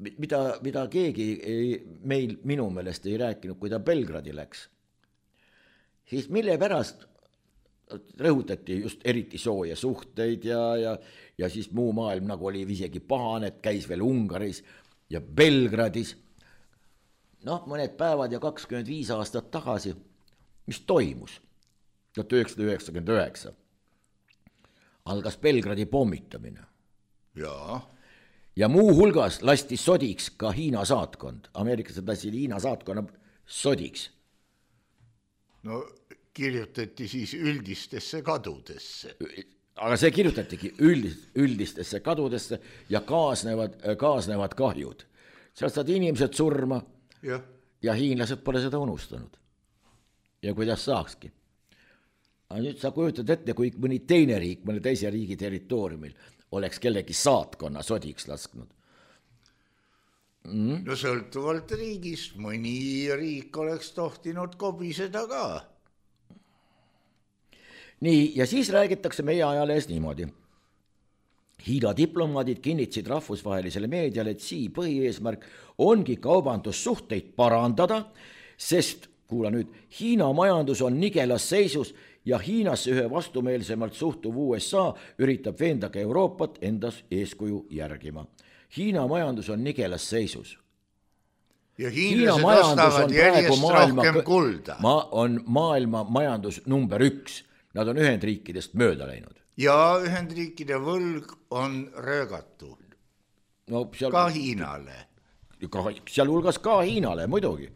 D: Mida, mida keegi ei, meil minu meelest ei rääkinud, kui ta Belgradi läks, siis mille pärast rõhutati just eriti sooja suhteid ja, ja, ja siis muu maailm nagu oli isegi pahane, et käis veel Ungaris ja Belgradis. Noh, mõned päevad ja kakskümmend viis aastat tagasi, mis toimus? tuhat üheksasada üheksakümmend üheksa algas Belgradi pommitamine.
C: Jaa.
D: Ja muu hulgas lasti sodiks ka Hiina saatkond. Ameeriklased lasid Hiina saatkonna sodiks.
C: No kirjutati siis üldistesse kadudesse.
D: Aga see kirjutatigi üldist, üldistesse kadudesse ja kaasnevad, kaasnevad kahjud. Seal saad inimesed surma
C: ja.
D: ja hiinlased pole seda unustanud. Ja kuidas saakski. Aga nüüd sa kujutad ette, kui mõni teine riik, mõne teise riigi territooriumil oleks kellegi saatkonna sodiks lasknud.
C: Mm. No sõltuvalt riigist, mõni riik oleks tohtinud kobiseda ka.
D: Nii, ja siis räägitakse meie ajalees niimoodi. Hiina diplomaadid kinnitsid rahvusvahelisele meediale, et sii põhieesmärk ongi kaubandussuhteid parandada, sest, kuula nüüd, Hiina majandus on nigelas seisus ja Hiinasse ühe vastumeelsemalt suhtuv U S A üritab veenda ka Euroopat endas eeskuju järgima. Hiina majandus on nigelas seisus.
C: Ja hiinlased ostavad järjest maailma, rohkem kulda.
D: Ma on maailma majandus number üks. Nad on Ühendriikidest mööda läinud.
C: Ja Ühendriikide võlg on röögatu.
D: No, seal,
C: ka Hiinale.
D: Ka, seal hulgas ka Hiinale, muidugi.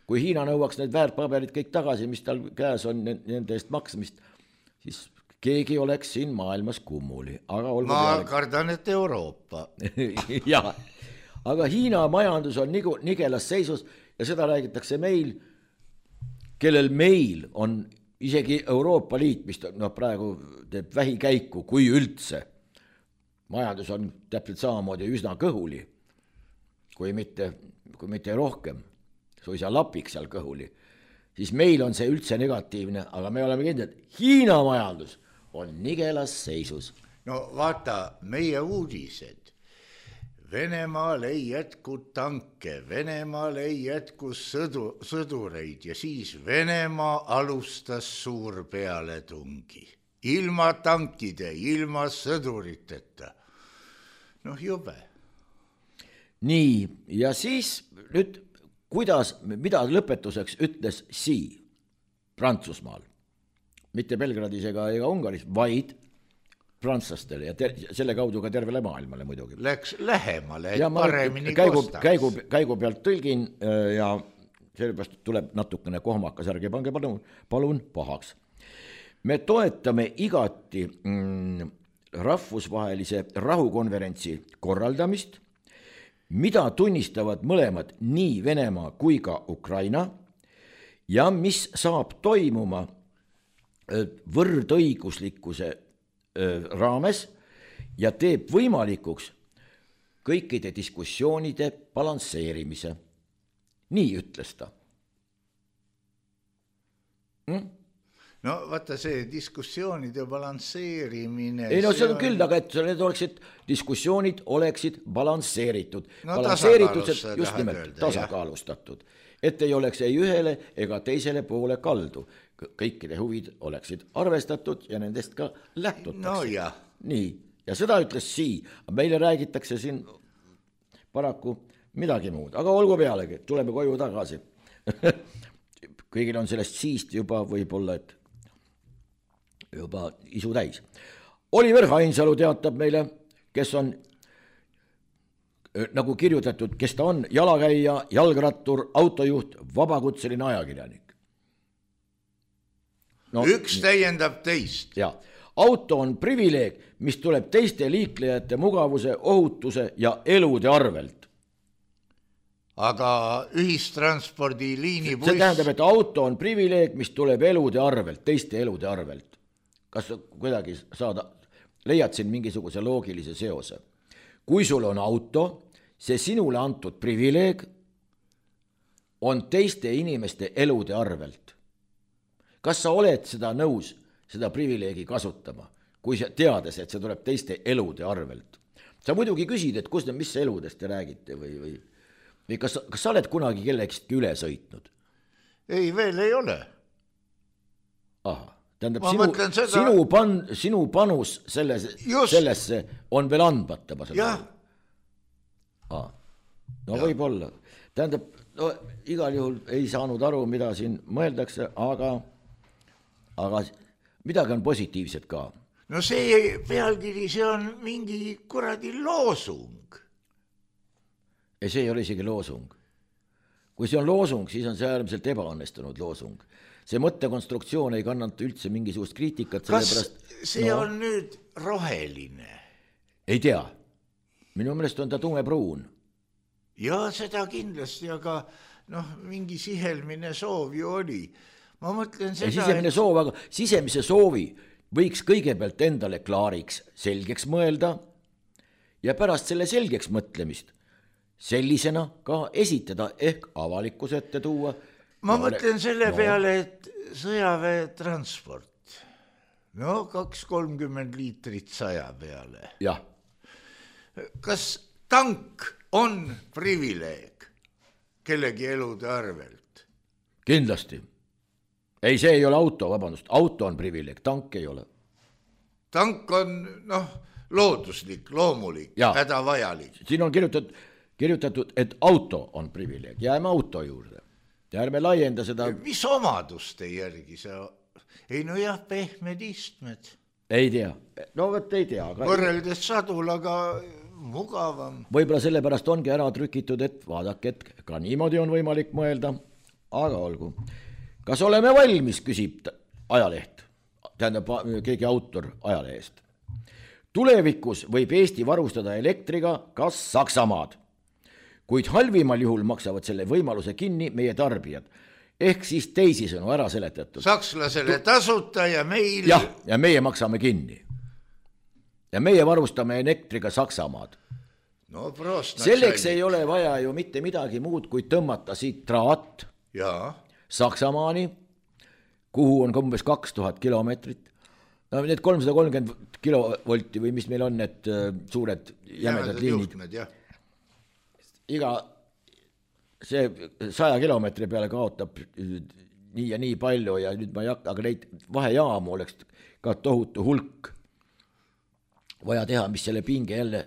D: Kui Hiina nõuaks need väärtpaberid kõik tagasi, mis tal käes on nende eest maksmist, siis keegi oleks siin maailmas kummuli. Aga
C: ma peale... kardan, et Euroopa.
D: Ja, aga Hiina majandus on nigu, nigelas seisus ja seda räägitakse meil, kellel meil on isegi Euroopa Liit, mis noh, praegu teeb vähikäiku, kui üldse, majandus on täpselt samamoodi üsna kõhuli, kui mitte, kui mitte rohkem, suisa lapik seal kõhuli, siis meil on see üldse negatiivne, aga me oleme kindlad, et Hiina majandus on nigelas seisus.
C: No vaata, meie uudised. Venemaal ei jätku tanke, Venemaal ei jätku sõdu, sõdureid ja siis Venemaa alustas suur pealetungi. Ilma tankide, ilma sõduriteta. Noh, jube.
D: Nii, ja siis nüüd, kuidas, mida lõpetuseks ütles Xi Prantsusmaal, mitte Belgradis ega, ega Ungaris, vaid prantslastele ja ter selle kaudu ka tervele maailmale muidugi.
C: Läks lähemale, et
D: ja
C: paremini
D: käigu,
C: kostaks.
D: Käigu, käigu pealt tõlgin ja sellepärast tuleb natukene kohmakas, ärge pange palun, palun pahaks. Me toetame igati mm, rahvusvahelise rahukonverentsi korraldamist, mida tunnistavad mõlemad nii Venemaa kui ka Ukraina ja mis saab toimuma võrdõiguslikkuse raames ja teeb võimalikuks kõikide diskussioonide balansseerimise. Nii ütles ta. Hmm?
C: No vaata see diskussioonide balansseerimine.
D: Ei no see on, on küll, aga et need oleksid, diskussioonid oleksid balansseeritud. No, balansseeritud, just nimelt öelda, tasakaalustatud. Et ei oleks ei ühele ega teisele poole kaldu. Kõikide huvid oleksid arvestatud ja nendest ka lähtutakse.
C: No jah.
D: Nii, ja seda ütles Xi. Meile räägitakse siin paraku midagi muud, aga olgu pealegi, tuleme koju tagasi. Kõigil on sellest Xi'st juba võib-olla, et juba isu täis. Oliver Hainsalu teatab meile, kes on nagu kirjutatud, kes ta on, jalakäija, jalgrattur, autojuht, vabakutseline ajakirjanik.
C: No, üks täiendab teist.
D: Ja, auto on privileeg, mis tuleb teiste liiklejate mugavuse, ohutuse ja elude arvelt.
C: Aga ühistranspordi liinibuss...
D: See tähendab, et auto on privileeg, mis tuleb elude arvelt, teiste elude arvelt. Kas kuidagi saada, leiad siin mingisuguse loogilise seose? Kui sul on auto, see sinule antud privileeg on teiste inimeste elude arvelt. Kas sa oled seda nõus, seda privileegi kasutama, kui sa teades, et see tuleb teiste elude arvelt? Sa muidugi küsid, et kus, mis eludest te räägite või, või, või kas, kas sa oled kunagi kellegistki üle sõitnud?
C: Ei, veel ei ole.
D: Aha, tähendab, sinu, seda... sinu, pan, sinu panus selles, sellesse on veel andmata.
C: Jah.
D: Ah, no ja. Võib olla. Tähendab, no, igal juhul ei saanud aru, mida siin mõeldakse, aga... aga midagi on positiivset ka.
C: No see pealkiri, see on mingi kuradi loosung.
D: Ei, see ei ole isegi loosung. Kui see on loosung, siis on see äärmiselt ebaõnnestunud loosung. See mõttekonstruktsioon ei kannata üldse mingisugust kriitikat.
C: Kas
D: pärast,
C: see
D: no,
C: on nüüd roheline?
D: Ei tea. Minu meelest on ta tumepruun.
C: Ja seda kindlasti, aga noh, mingi sihelmine soov ju oli. Ma mõtlen seda,
D: sisemine et... soov, aga sisemise soovi võiks kõigepealt endale klaariks selgeks mõelda ja pärast selle selgeks mõtlemist sellisena ka esitada ehk avalikkuse ette tuua.
C: Ma no, mõtlen selle no. peale, et sõjaväe transport, no kaks kolmkümmend liitrit saja peale.
D: Jah.
C: Kas tank on privileeg kellegi elude arvelt?
D: Kindlasti. Ei, see ei ole auto, vabandust, auto on privileeg, tank ei ole.
C: Tank on, noh, looduslik, loomulik, hädavajalik.
D: Siin on kirjutatud, kirjutatud, et auto on privileeg, jääme auto juurde. Ja ärme laienda seda...
C: Mis omaduste järgi sa... Ei, no jah, pehmed istmed.
D: Ei tea, no võt ei tea. Aga...
C: Võrreldes sadul, aga mugavam.
D: Võib-olla sellepärast ongi ära trükitud, et vaadake, et ka niimoodi on võimalik mõelda, aga olgu. Kas oleme valmis, küsib ajaleht, tähendab keegi autor ajalehest. Tulevikus võib Eesti varustada elektriga kas Saksamaad, kuid halvimal juhul maksavad selle võimaluse kinni meie tarbijad. ehk siis teisisõnu ära seletatud.
C: Sakslasele tasuta ja meil...
D: jah, ja meie maksame kinni. Ja meie varustame elektriga Saksamaad.
C: No prost.
D: Selleks ei ole vaja ju mitte midagi muud, kui tõmmata siit traat
C: ja.
D: Saksamaani, kuhu on umbes kaks tuhat kilomeetrit. No need kolmsada kolmkümmend kilovolti või mis meil on need suured jämedad liinid. Iga see saja kilomeetri peale kaotab nii ja nii palju ja nüüd ma ei hakka, aga neid vahejaamu oleks ka tohutu hulk vaja teha, mis selle pinge jälle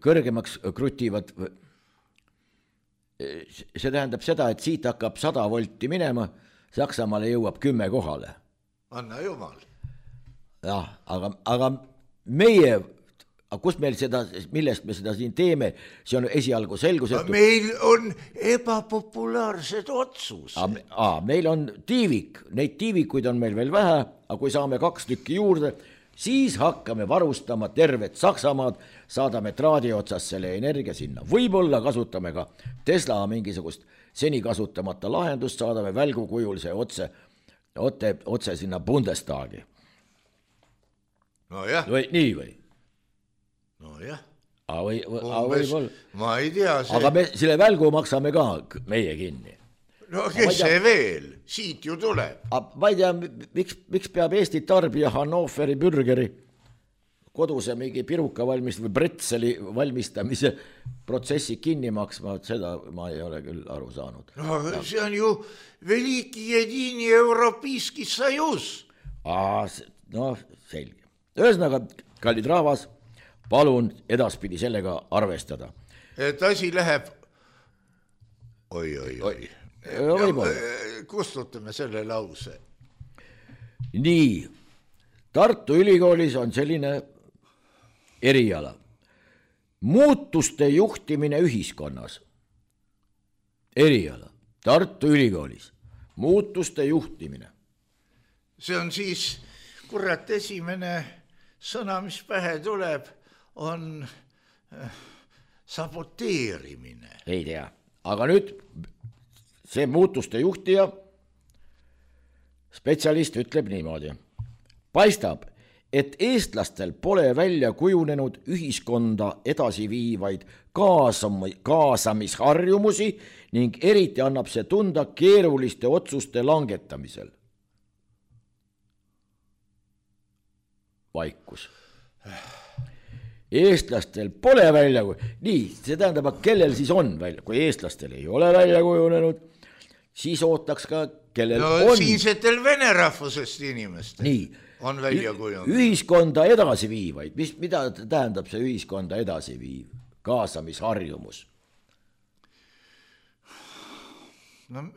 D: kõrgemaks krutivad. See tähendab seda, et siit hakkab sada volti minema, Saksamaale jõuab kümme kohale.
C: Anna jumal.
D: Jah, aga, aga meie, kus meil seda, millest me seda siin teeme, see on esialgu selgusetu.
C: Meil on ebapopulaarsed otsused.
D: Aa, meil on tiivik, neid tiivikuid on meil veel vähe, aga kui saame kaks tükki juurde, siis hakkame varustama tervet Saksamaad, saadame traadi otsas selle energia sinna. Võib-olla kasutame ka Tesla mingisugust seni kasutamata lahendust, saadame välgu kujul see otse, otse, otse sinna Bundestagi.
C: No jah.
D: Või, nii või?
C: No jah.
D: A, või, a, võib
C: ma ei tea. See...
D: Aga me selle välgu maksame ka meie kinni.
C: No kes see veel? Siit ju tuleb.
D: A, ma ei tea, miks, miks peab Eesti tarbija Hannoveri bürgeri koduse mingi piruka valmist või bretseli valmistamise protsessi kinni maksma, seda ma ei ole küll aru saanud.
C: No ja. See on ju veliki jedini Europijski sajus.
D: A, no selge. Ühesõnaga, kallid rahvas, palun edaspidi sellega arvestada.
C: Et asi läheb... Oi, oi, oi.
D: Ja,
C: kustutame selle lause.
D: Nii, Tartu Ülikoolis on selline eriala. Muutuste juhtimine ühiskonnas. Eriala. Tartu Ülikoolis. Muutuste juhtimine.
C: See on siis, kurat, esimene sõna, mis pähe tuleb, on saboteerimine.
D: Ei tea, aga nüüd see muutuste juhtija spetsialist ütleb niimoodi. Paistab, et eestlastel pole välja kujunenud ühiskonda edasi viivaid kaasam- kaasamisharjumusi ning eriti annab see tunda keeruliste otsuste langetamisel. Vaikus. Eestlastel pole välja kujunenud. Nii, see tähendab, kellel siis on välja, kui eestlastel ei ole välja kujunenud, siis ootaks ka, kellel
C: no,
D: on.
C: Siinsetel vene rahvusest inimestel
D: nii,
C: on välja kujunenud.
D: Ühiskonda edasi viivaid. Mis, mida tähendab see ühiskonda edasi viiv? Kaasamisharjumus.
C: No,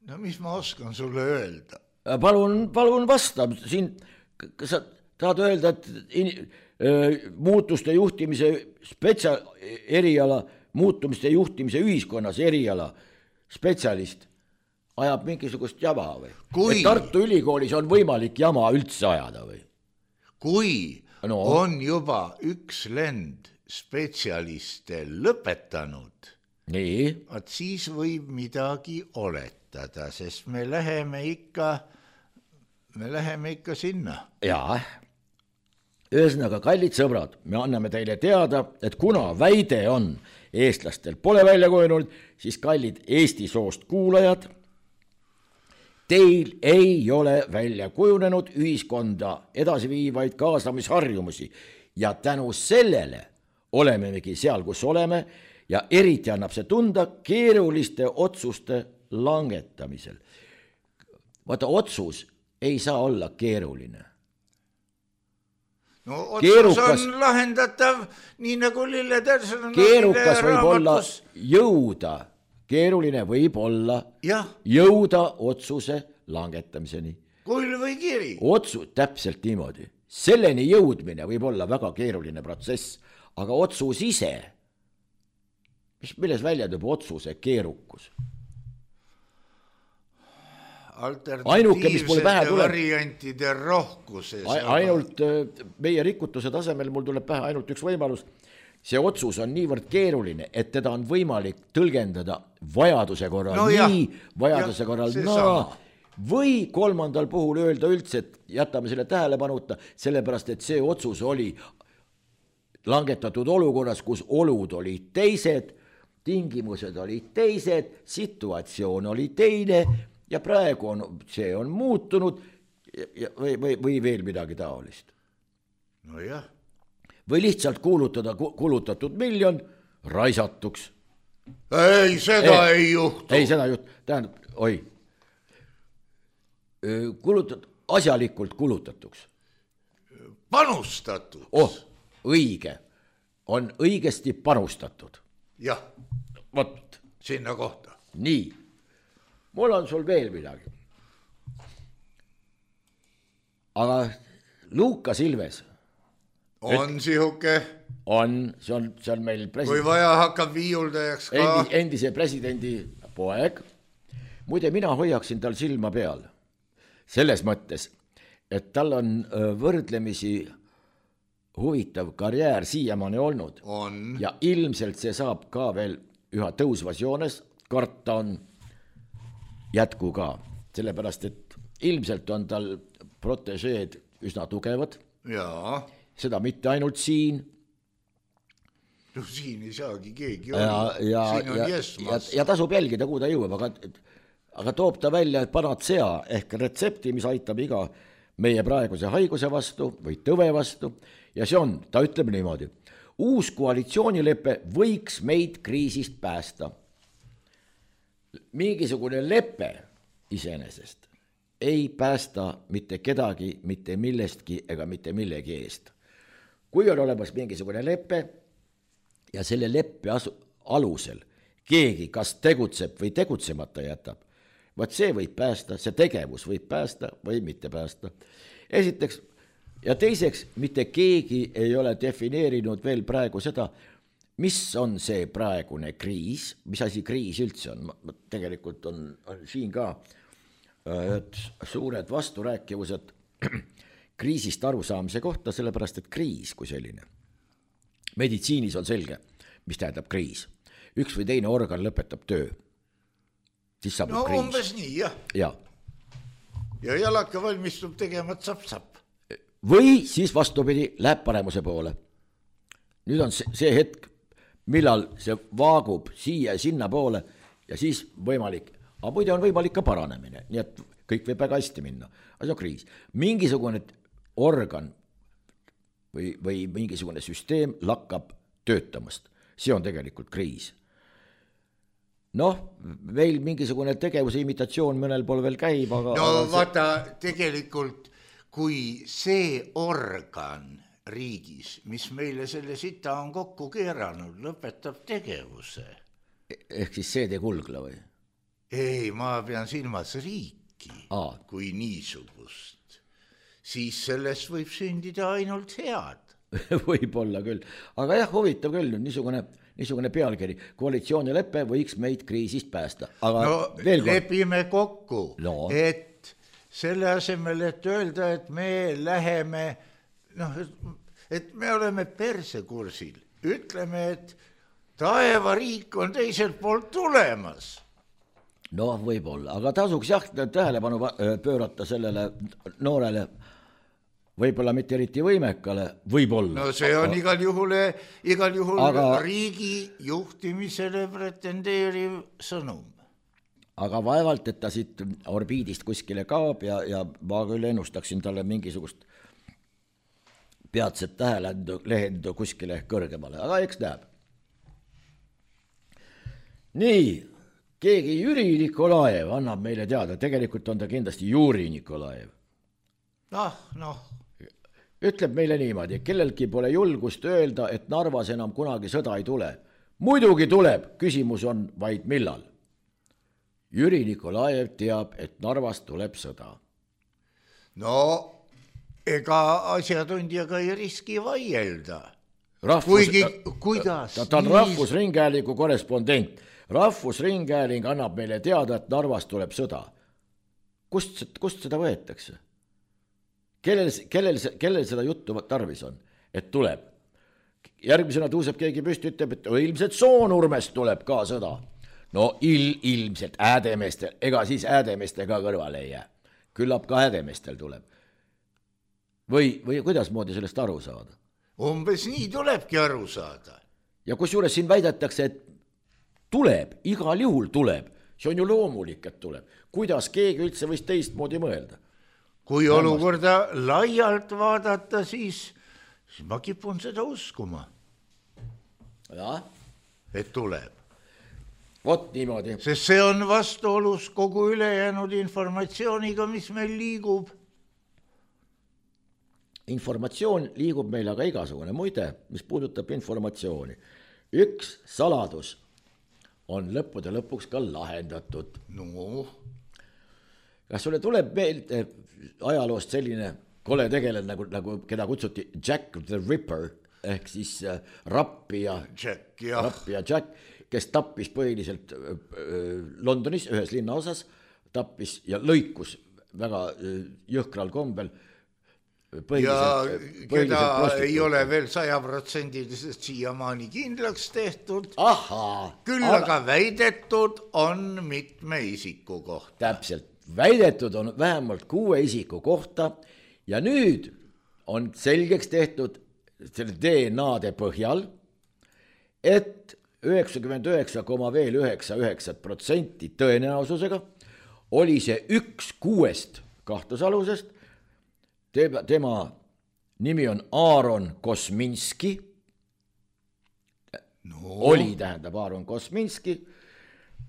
C: no mis ma oskan sulle öelda?
D: Palun, palun vasta. Siin, sa tahad öelda, et in, muutuste juhtimise spetsia, eriala, muutumiste juhtimise ühiskonnas eriala spetsialist ajab mingisugust jama või? Kui... Tartu Ülikoolis on võimalik jama üldse ajada või?
C: Kui
D: no.
C: on juba üks lend spetsialiste lõpetanud,
D: nii.
C: At siis võib midagi oletada, sest me läheme ikka, me läheme ikka sinna.
D: Jaa. Ühesõnaga, kallid sõbrad, me anname teile teada, et kuna väide on eestlastel pole välja kujunenud, siis kallid Eesti soost kuulajad, teil ei ole välja kujunenud ühiskonda edasiviivaid kaasamisharjumusi ja tänu sellele olemegi seal, kus oleme ja eriti annab see tunda keeruliste otsuste langetamisel. Vaata, otsus ei saa olla keeruline.
C: No otsus keerukas, on lahendatav nii nagu Lille Terson.
D: Keerukas võib olla jõuda, keeruline võib olla ja. Jõuda otsuse langetamiseni.
C: Kull või kiri.
D: Otsus, täpselt niimoodi. Selleni jõudmine võib olla väga keeruline protsess, aga otsus ise, mis, milles välja toob otsuse keerukus?
C: Alternatiivsete variantide rohkuses.
D: Ainult meie rikutuse tasemel mul tuleb pähe ainult üks võimalus. see otsus on niivõrd keeruline, et teda on võimalik tõlgendada vajaduse korral
C: No
D: nii,
C: jah,
D: vajaduse
C: jah,
D: korral
C: see
D: naa,
C: sama.
D: või kolmandal puhul öelda üldse, et jätame selle tähelepanuta, sellepärast et see otsus oli langetatud olukorras, kus olud olid teised, tingimused olid teised, situatsioon oli teine ja praegu on, see on muutunud ja, või, või, või veel midagi taolist.
C: No jah.
D: Või lihtsalt kuulutada kulutatud miljon raisatuks.
C: Ei, seda ei, ei juhtu.
D: Ei, seda juht, tähendab, oi, kulutat, asjalikult kulutatuks.
C: Panustatud.
D: Oh, õige, on õigesti panustatud.
C: Jah,
D: Vot,
C: sinna kohta.
D: nii, mul on sul veel midagi. Aga Lukas Ilves
C: On sihuke,
D: on, see on, see on meil
C: kui
D: president,
C: vaja hakkab viiuldajaks ka.
D: endis, endise presidendi poeg. Muide, mina hoiaksin tal silma peal. Selles mõttes, et tal on võrdlemisi huvitav karjäär siiamaani olnud.
C: On.
D: Ja ilmselt see saab ka veel üha tõusvas joones, karta on jätku ka. Sellepärast, et ilmselt on tal protežeed üsna tugevad.
C: Jaa.
D: Seda mitte ainult siin.
C: No siin ei saagi keegi
D: Ja,
C: olla.
D: ja,
C: Siin on
D: ja, ja,
C: jesmas.
D: ja tasub jälgida, kuhu ta jõuab, aga, aga toob ta välja panacea ehk retsepti, mis aitab iga meie praeguse haiguse vastu või tõve vastu. Ja see on, ta ütleb niimoodi, uus koalitsioonilepe võiks meid kriisist päästa. Mingisugune lepe iseenesest ei päästa mitte kedagi, mitte millestki ega mitte millegi eest. Kui on olemas mingisugune lepe ja selle leppe asu, alusel keegi kas tegutseb või tegutsemata jätab, vaat see võib päästa, see tegevus võib päästa või mitte päästa. Esiteks, ja teiseks, mitte keegi ei ole defineerinud veel praegu seda, mis on see praegune kriis, mis asi kriis üldse on. Tegelikult on, on siin ka et suured vasturääkivused kriisist arusaamise kohta, sellepärast et kriis kui selline. Meditsiinis on selge, mis tähendab kriis. Üks või teine organ lõpetab töö. Siis saab
C: No
D: kriis.
C: umbes nii, jah.
D: Ja.
C: Ja jalaka valmistub tegema tsapp-tsapp.
D: Või siis vastupidi, läheb paremuse poole. Nüüd on see, see hetk, millal see vaagub siia ja sinna poole ja siis võimalik, aga muide on võimalik ka paranemine, nii et kõik võib väga hästi minna. Aga see on kriis. Mingisugune organ või, või mingisugune süsteem lakkab töötamast. See on tegelikult kriis. Noh, meil mingisugune tegevuse imitatsioon mõnel pool veel käib, aga...
C: No
D: aga see...
C: vaata, tegelikult kui see organ riigis, mis meile selle sita on kokku keeranud, lõpetab tegevuse.
D: Ehk siis see tee kulgla või?
C: Ei, ma pean silmas riiki
D: Aa.
C: kui niisugust. Siis sellest võib sündida ainult head.
D: Võib-olla küll. Aga jah, huvitav küll, niisugune, niisugune pealkiri. Koalitsioonilepe võiks meid kriisist päästa. Aga
C: no
D: veel kord...
C: lepime kokku,
D: no.
C: et selle asemel, et öelda, et me läheme, noh, et me oleme persekursil. Ütleme, et taevariik on teiselt poolt tulemas.
D: Noh, võib-olla, aga tasuks jah tähelepanu pöörata sellele noorele, võib-olla mitte eriti võimekale, võib-olla.
C: No see on igal juhul, igal juhul
D: aga,
C: riigi juhtimisele pretendeeriv sõnum.
D: Aga vaevalt, et ta siit orbiidist kuskile kaob ja, ja ma küll ennustaksin talle mingisugust peatset tähelendu, lehendu kuskile kõrgemale, aga eks näeb. Nii, keegi Jüri Nikolaev annab meile teada, tegelikult on ta kindlasti Juri Nikolaev.
C: Ah, noh.
D: Ütleb meile niimoodi, kellelgi pole julgust öelda, et Narvas enam kunagi sõda ei tule. Muidugi tuleb, küsimus on vaid millal. Jüri Nikolaev teab, et Narvas tuleb sõda.
C: No, ega asjatundjaga ei riski vaielda.
D: Rahvus,
C: Kuigi, kuidas?
D: Ta, ta on Rahvusringhäälingu korrespondent. Rahvusringhääling annab meile teada, et Narvas tuleb sõda. Kust, kust seda võetakse? Kellel, kellel, kellel seda juttu tarvis on, et tuleb? järgmisena tõuseb keegi püsti, ütleb, et ilmselt Soonurmest tuleb ka sõda. No il, ilmselt Häädemeestel, ega siis Häädemeeste ka kõrvale ei jää. Küllap ka Häädemeestel tuleb. Või, või kuidas moodi sellest aru saada?
C: Umbes nii tulebki aru saada.
D: Ja kusjuures siin väidetakse, et tuleb, igal juhul tuleb. See on ju loomulik, et tuleb. Kuidas keegi üldse võis teistmoodi mõelda?
C: Kui olukorda laialt vaadata, siis, siis ma kipun seda uskuma.
D: Ja?
C: Et tuleb.
D: Vot niimoodi.
C: Sest see on vastuolus kogu ülejäänud informatsiooniga, mis meil liigub.
D: Informatsioon liigub meil aga igasugune. Muide, mis puudutab informatsiooni. Üks saladus on lõppude lõpuks ka lahendatud.
C: No.
D: Kas sulle tuleb meelde ajaloost selline kole tegelane, nagu, nagu keda kutsuti Jack the Ripper, ehk siis äh, Rappi ja
C: Jack, ja.
D: Rappi ja Jack, kes tappis põhiliselt äh, Londonis ühes linnaosas, tappis ja lõikus väga äh, jõhkral kombel.
C: Ja keda ei ole veel sajaprotsendiliselt siiamaani kindlaks tehtud.
D: Aha,
C: küll aga, aga väidetud on mitme isiku kohta.
D: Täpselt, väidetud on vähemalt kuue isiku kohta ja nüüd on selgeks tehtud selle D N A-de põhjal, et üheksakümmend üheksa koma üheksa üheksa protsenti tõenäosusega oli see üks kuuest kahtlusalusest. Tema nimi on Aaron Kosminski, no. oli tähendab Aaron Kosminski,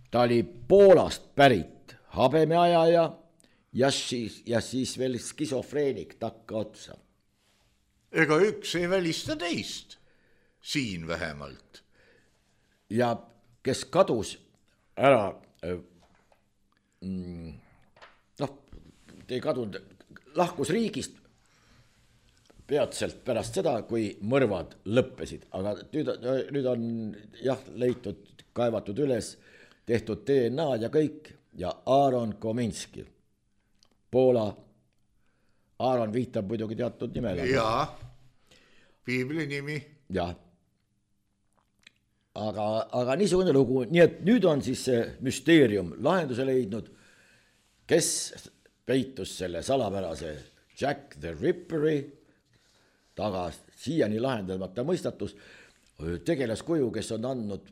D: ta oli Poolast pärit habemeajaja ja siis, ja siis veel skisofreenik takka otsa.
C: Ega üks ei välista teist, siin vähemalt.
D: Ja kes kadus ära, noh, ei kadunud, lahkus riigist peatselt pärast seda, kui mõrvad lõppesid, aga nüüd, nüüd on jah, leitud, kaevatud üles, tehtud D N A ja kõik ja Aaron Kominski, Poola, Aaron viitab muidugi teatud nimele.
C: Jaa, piibli nimi.
D: Jah, aga, aga niisugune lugu, nii et nüüd on siis see müsteerium lahenduse leidnud, kes peitus selle salapärase Jack the Ripperi taga, siiani lahendamata mõistatus, tegelaskuju, kes on andnud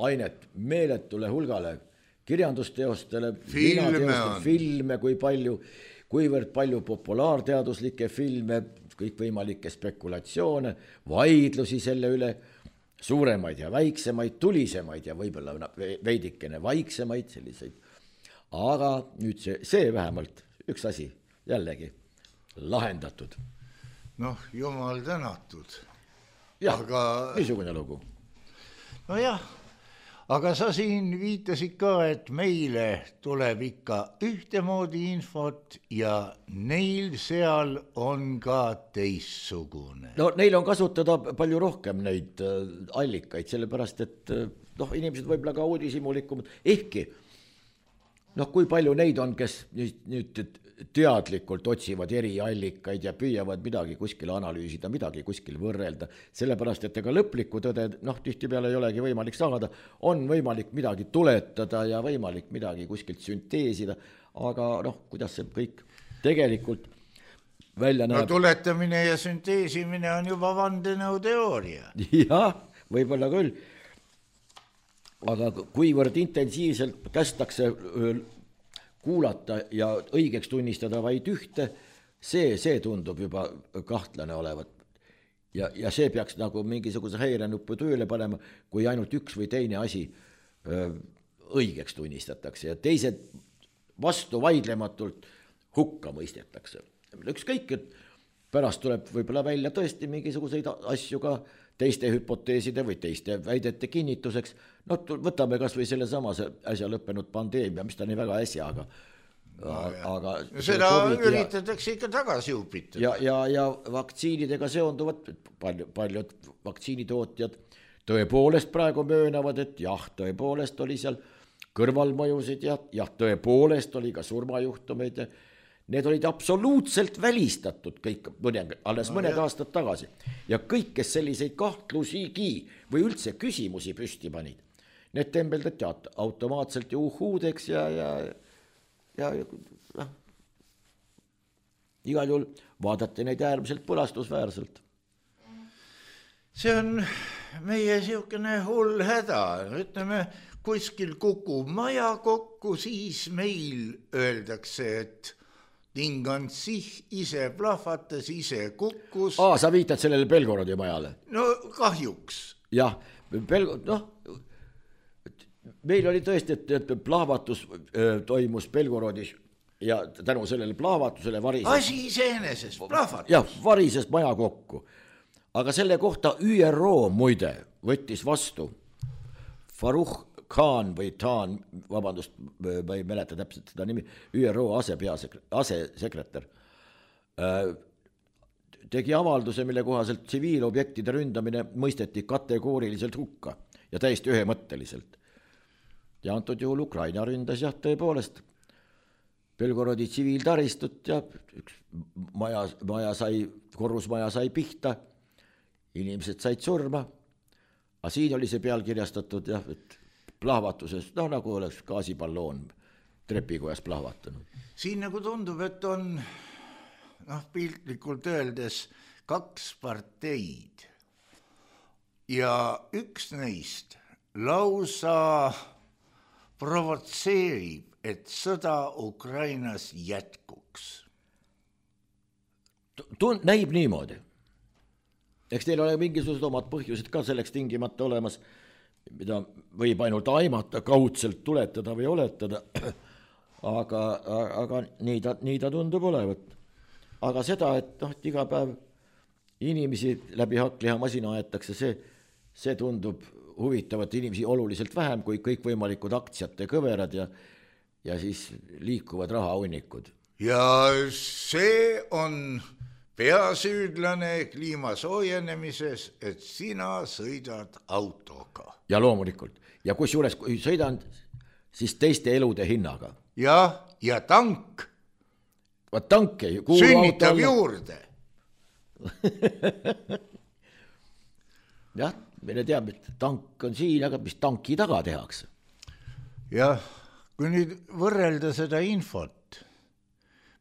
D: ainet meeletule hulgale kirjandusteostele,
C: filme,
D: filme, kui palju, kuivõrd palju populaarteaduslikke filme, kõikvõimalikke spekulatsioone, vaidlusi selle üle, suuremaid ja väiksemaid, tulisemaid ja võib-olla veidikene vaiksemaid selliseid. Aga nüüd see, see vähemalt üks asi jällegi lahendatud.
C: Noh, jumal tänatud.
D: Jah, aga... niisugune lugu.
C: No jah, aga sa siin viitasid ka, et meile tuleb ikka ühtemoodi infot ja neil seal on ka teissugune.
D: No neil on kasutada palju rohkem neid allikaid, sellepärast et noh, inimesed võib-olla ka uudishimulikumad, ehkki noh, kui palju neid on, kes nüüd teadlikult otsivad eri allikaid ja püüavad midagi kuskil analüüsida, midagi kuskil võrrelda, sellepärast, et ega lõplikku tõde, noh, tihtipeale ei olegi võimalik saada, on võimalik midagi tuletada ja võimalik midagi kuskilt sünteesida, aga noh, kuidas see kõik tegelikult välja näeb.
C: No tuletamine ja sünteesimine on juba vandenõuteooria.
D: Jah, võib-olla küll. Aga kuivõrd intensiivselt kästakse kuulata ja õigeks tunnistada vaid ühte, see, see tundub juba kahtlane olevat. Ja, ja see peaks nagu mingisuguse häirenuppu tööle panema, kui ainult üks või teine asi öö, õigeks tunnistatakse ja teised vastu vaidlematult hukka mõistetakse. Ükskõik, et pärast tuleb võib-olla välja tõesti mingisuguseid asju ka teiste hüpoteeside või teiste väidete kinnituseks. No võtame kas või selle sama äsja lõppenud pandeemia, mis ta nii väga äsja, aga...
C: No, aga seda üritatakse ikka tagasi upitada.
D: Ja, ja, ja vaktsiinidega seonduvad palju, paljud vaktsiinitootjad tõepoolest praegu möönavad, et jah, tõepoolest oli seal kõrvalmõjusid ja jah, tõepoolest oli ka surmajuhtumeid ja need olid absoluutselt välistatud kõik, alles mõned no, aastad tagasi. Ja kõik, kes selliseid kahtlusigi või üldse küsimusi püsti panid, need tembeldati automaatselt ja uhuudeks ja, ja, ja, ja igal juhul vaadati neid äärmiselt põlastusväärselt.
C: See on meie siukene hull häda, ütleme, kuskil kukub maja kokku, siis meil öeldakse, et ting on sih, ise plahvatas, ise kukkus.
D: Aa, sa viitad sellele Belgorodi majale?
C: No kahjuks.
D: Jah, Belgorod, noh, meil oli tõesti, et, et plahvatus öö, toimus Belgorodis ja tänu sellele plahvatusele varises.
C: Asi iseenesest, plahvatus.
D: Jah, varises maja kokku. Aga selle kohta Ü R O muide võttis vastu Faruh Khan või Taan, vabandust, ma ei mäleta täpselt seda nimi, Ü R O asepeasekretär, asesekretär, tegi avalduse, mille kohaselt tsiviilobjektide ründamine mõisteti kategooriliselt hukka ja täiesti ühemõtteliselt. Ja antud juhul Ukraina ründas jah tõepoolest Belgorodi tsiviiltaristut ja üks maja, maja sai, korrusmaja sai pihta, inimesed said surma, aga siin oli see pealkirjastatud jah, et plahvatuses, noh nagu oleks gaasipalloon trepikojas plahvatanud.
C: Siin nagu tundub, et on noh, piltlikult öeldes kaks parteid ja üks neist lausa provotseerib, et sõda Ukrainas jätkuks.
D: Tund, näib niimoodi. Eks teil ole mingisugused omad põhjused ka selleks tingimata olemas, mida võib ainult aimata, kaudselt tuletada või oletada, aga, aga nii, ta, nii ta tundub olevat. Aga seda, et, noh, et iga päev inimesi läbi hakkliha masina aetakse, see, see tundub huvitavat inimesi oluliselt vähem kui kõikvõimalikud aktsiate kõverad ja, ja siis liikuvad rahahunnikud.
C: Ja see on peasüüdlane kliima soojenemises, et sina sõidad autoga.
D: Ja loomulikult. Ja kus juures, kui sõidan, siis teiste elude hinnaga.
C: Ja, ja tank.
D: Vaat tank ei kuulu
C: sünnitab autolle juurde.
D: Jah, meile teab, et tank on siin, aga mis tanki taga tehakse?
C: Jah, kui nüüd võrrelda seda infot,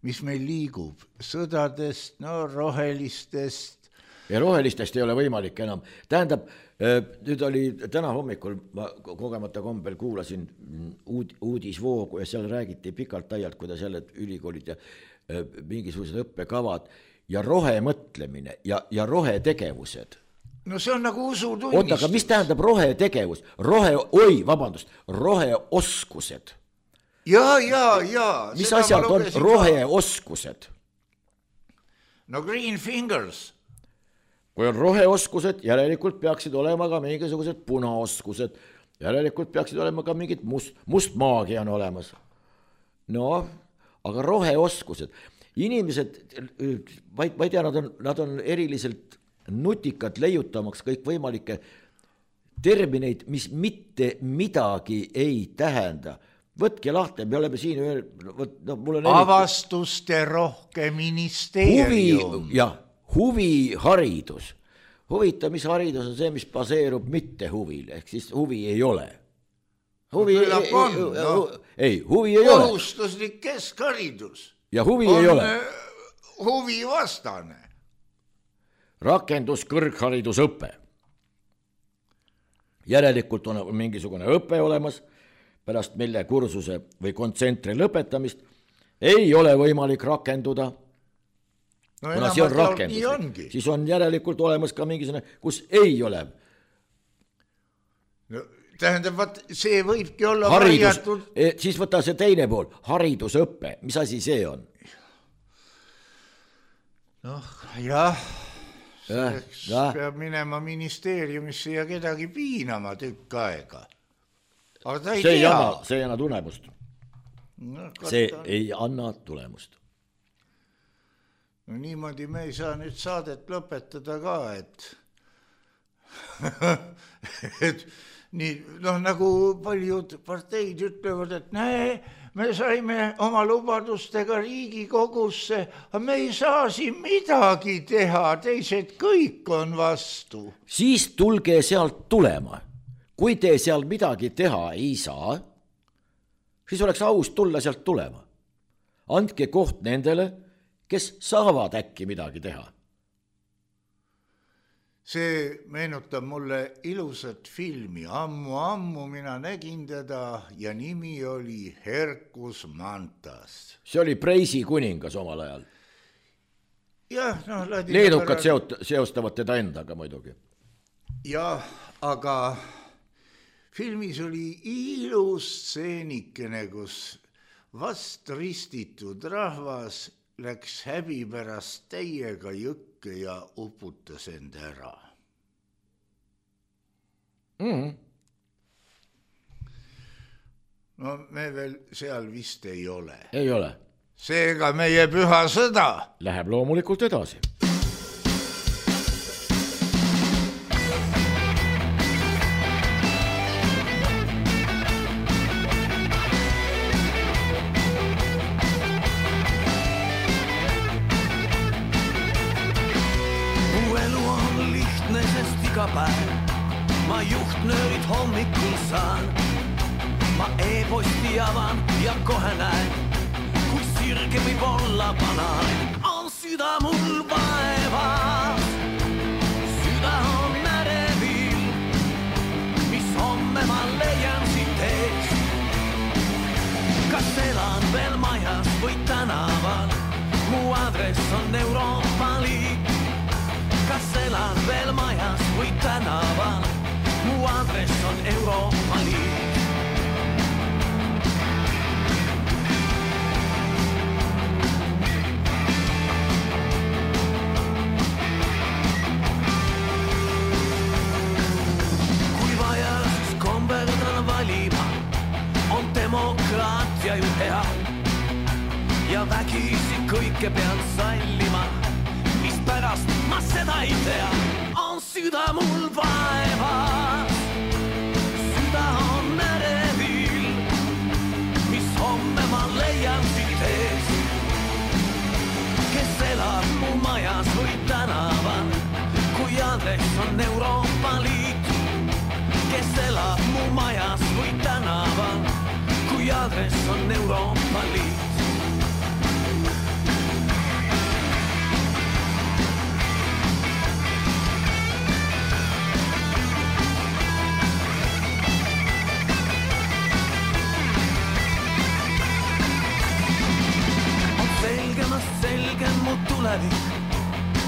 C: mis meil liigub sõdadest, no rohelistest.
D: Ja rohelistest ei ole võimalik enam. Tähendab, nüüd oli täna hommikul, ma kogemata kombel kuulasin uud, uudisvoogu ja seal räägiti pikalt aialt, kuidas jälle ülikoolid ja mingisugused õppekavad ja rohemõtlemine ja, ja rohetegevused.
C: No see on nagu usutunnistus.
D: Oota, aga mis tähendab rohetegevus? Rohe, oi, vabandust, roheoskused.
C: Ja, ja, ja.
D: Mis asjad on roheoskused?
C: No green fingers.
D: Kui on roheoskused, järelikult peaksid olema ka mingisugused punaoskused. Järelikult peaksid olema ka mingid must, must maagia on olemas. No, aga roheoskused. Inimesed, ma ei tea, nad on, nad on eriliselt nutikad leiutamaks kõik võimalikke termineid, mis mitte midagi ei tähenda. Võtke lahti, me oleme siin ühel, no, mul on
C: avastuste rohke ministeerium.
D: Huvi, jah, huviharidus. Huvita, mis haridus on see, mis baseerub mitte huvil, ehk siis huvi ei ole. Huvi
C: no,
D: ei,
C: on,
D: ei,
C: no.
D: ei, huvi ei ole.
C: Kohustuslik keskharidus.
D: Ja huvi
C: on
D: ei ole.
C: Huvi vastane.
D: Rakendus kõrgharidusõpe. Järelikult on mingisugune õpe olemas, pärast mille kursuse või kontsentri lõpetamist ei ole võimalik rakenduda.
C: No
D: kuna see on rakendus, siis on järelikult olemas ka mingisugune, kus ei ole.
C: No, tähendab, vaat, see võibki olla
D: haridus,
C: varjatud.
D: Siis võta see teine pool, haridusõppe, mis asi see on?
C: Noh, jah,
D: selleks ja.
C: peab minema ministeeriumisse ja kedagi piinama tükk aega. Aga ta ei
D: see
C: tea.
D: Ei anna, see ei anna tulemust.
C: No,
D: see ei anna tulemust.
C: No niimoodi me ei saa nüüd saadet lõpetada ka, et, et nii, noh, nagu paljud parteid ütlevad, et näe, me saime oma lubadustega Riigikogusse, aga me ei saa siin midagi teha, teised kõik on vastu.
D: Siis tulge sealt tulema. Kui te seal midagi teha ei saa, siis oleks aus tulla sealt tulema. Andke koht nendele, kes saavad äkki midagi teha.
C: See meenutab mulle ilusat filmi. Ammu-ammu mina nägin teda ja nimi oli Herkus Mantas.
D: See oli Preisi kuningas omal ajal.
C: Jah, no,
D: leedukad pärast... seot, seostavad teda endaga muidugi.
C: Jah, aga filmis oli ilus stseenikene, kus vast ristitud rahvas läks häbi pärast täiega jõkke ja uputas end ära.
D: Mm.
C: No me veel seal vist ei ole.
D: Ei ole.
C: Seega meie püha sõda
D: läheb loomulikult edasi.
B: Ma juhtnöörid hommikul saan, ma e-posti avan ja kohe näen, kui sirge võib olla banaan. On süda mul vaevas, süda on ärevil, mis homme ma leian siit eest. Kas elan veel majas või tänaval, mu adress on Euroopa Liit. Kas elan veel majas või tänaval, mu adress on Euroopa Liit. Kui vaja, siis komberdan valima, on demokraatia ju hea. Ja vägisi kõike pean sallima, mis pärast ma seda ei tea. On süda mul vaevas, süda on ärevil, mis homme ma leian siit ees. Kes elab mu majas või tänaval, kui adress on Euroopa Liit. Kes elab mu majas või tänaval, kui adress on Euroopa Liit.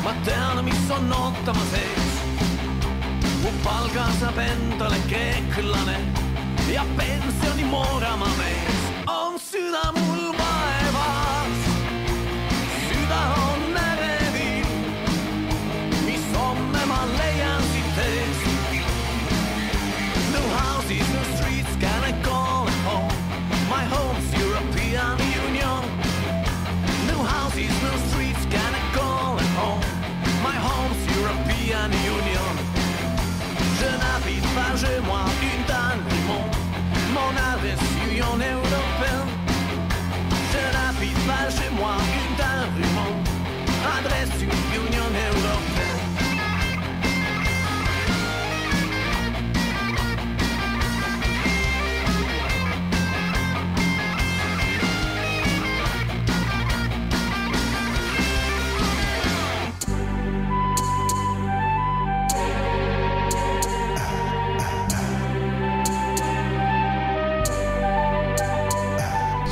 B: Ma tean, mis on ootama sees. Mu palga saab endale kreeklane ja pensioni moorama mees. On süda mul vaevas, süda on ärevil, mis homme ma leian siit ees. No houses, no streets, can I call it home? My home's European Union. No houses, no streets, can I call it home? My home's European Union. Je n'habite pas chez moi une dans le monde. Mon adresse Union Européenne. Je n'habite pas chez moi une dans le monde. Adresse Union Européenne.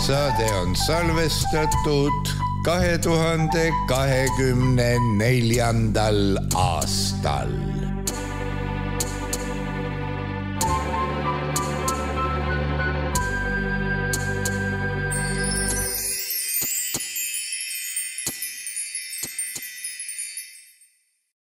C: Saade on salvestatud kahe tuhande kahekümne neljandal aastal.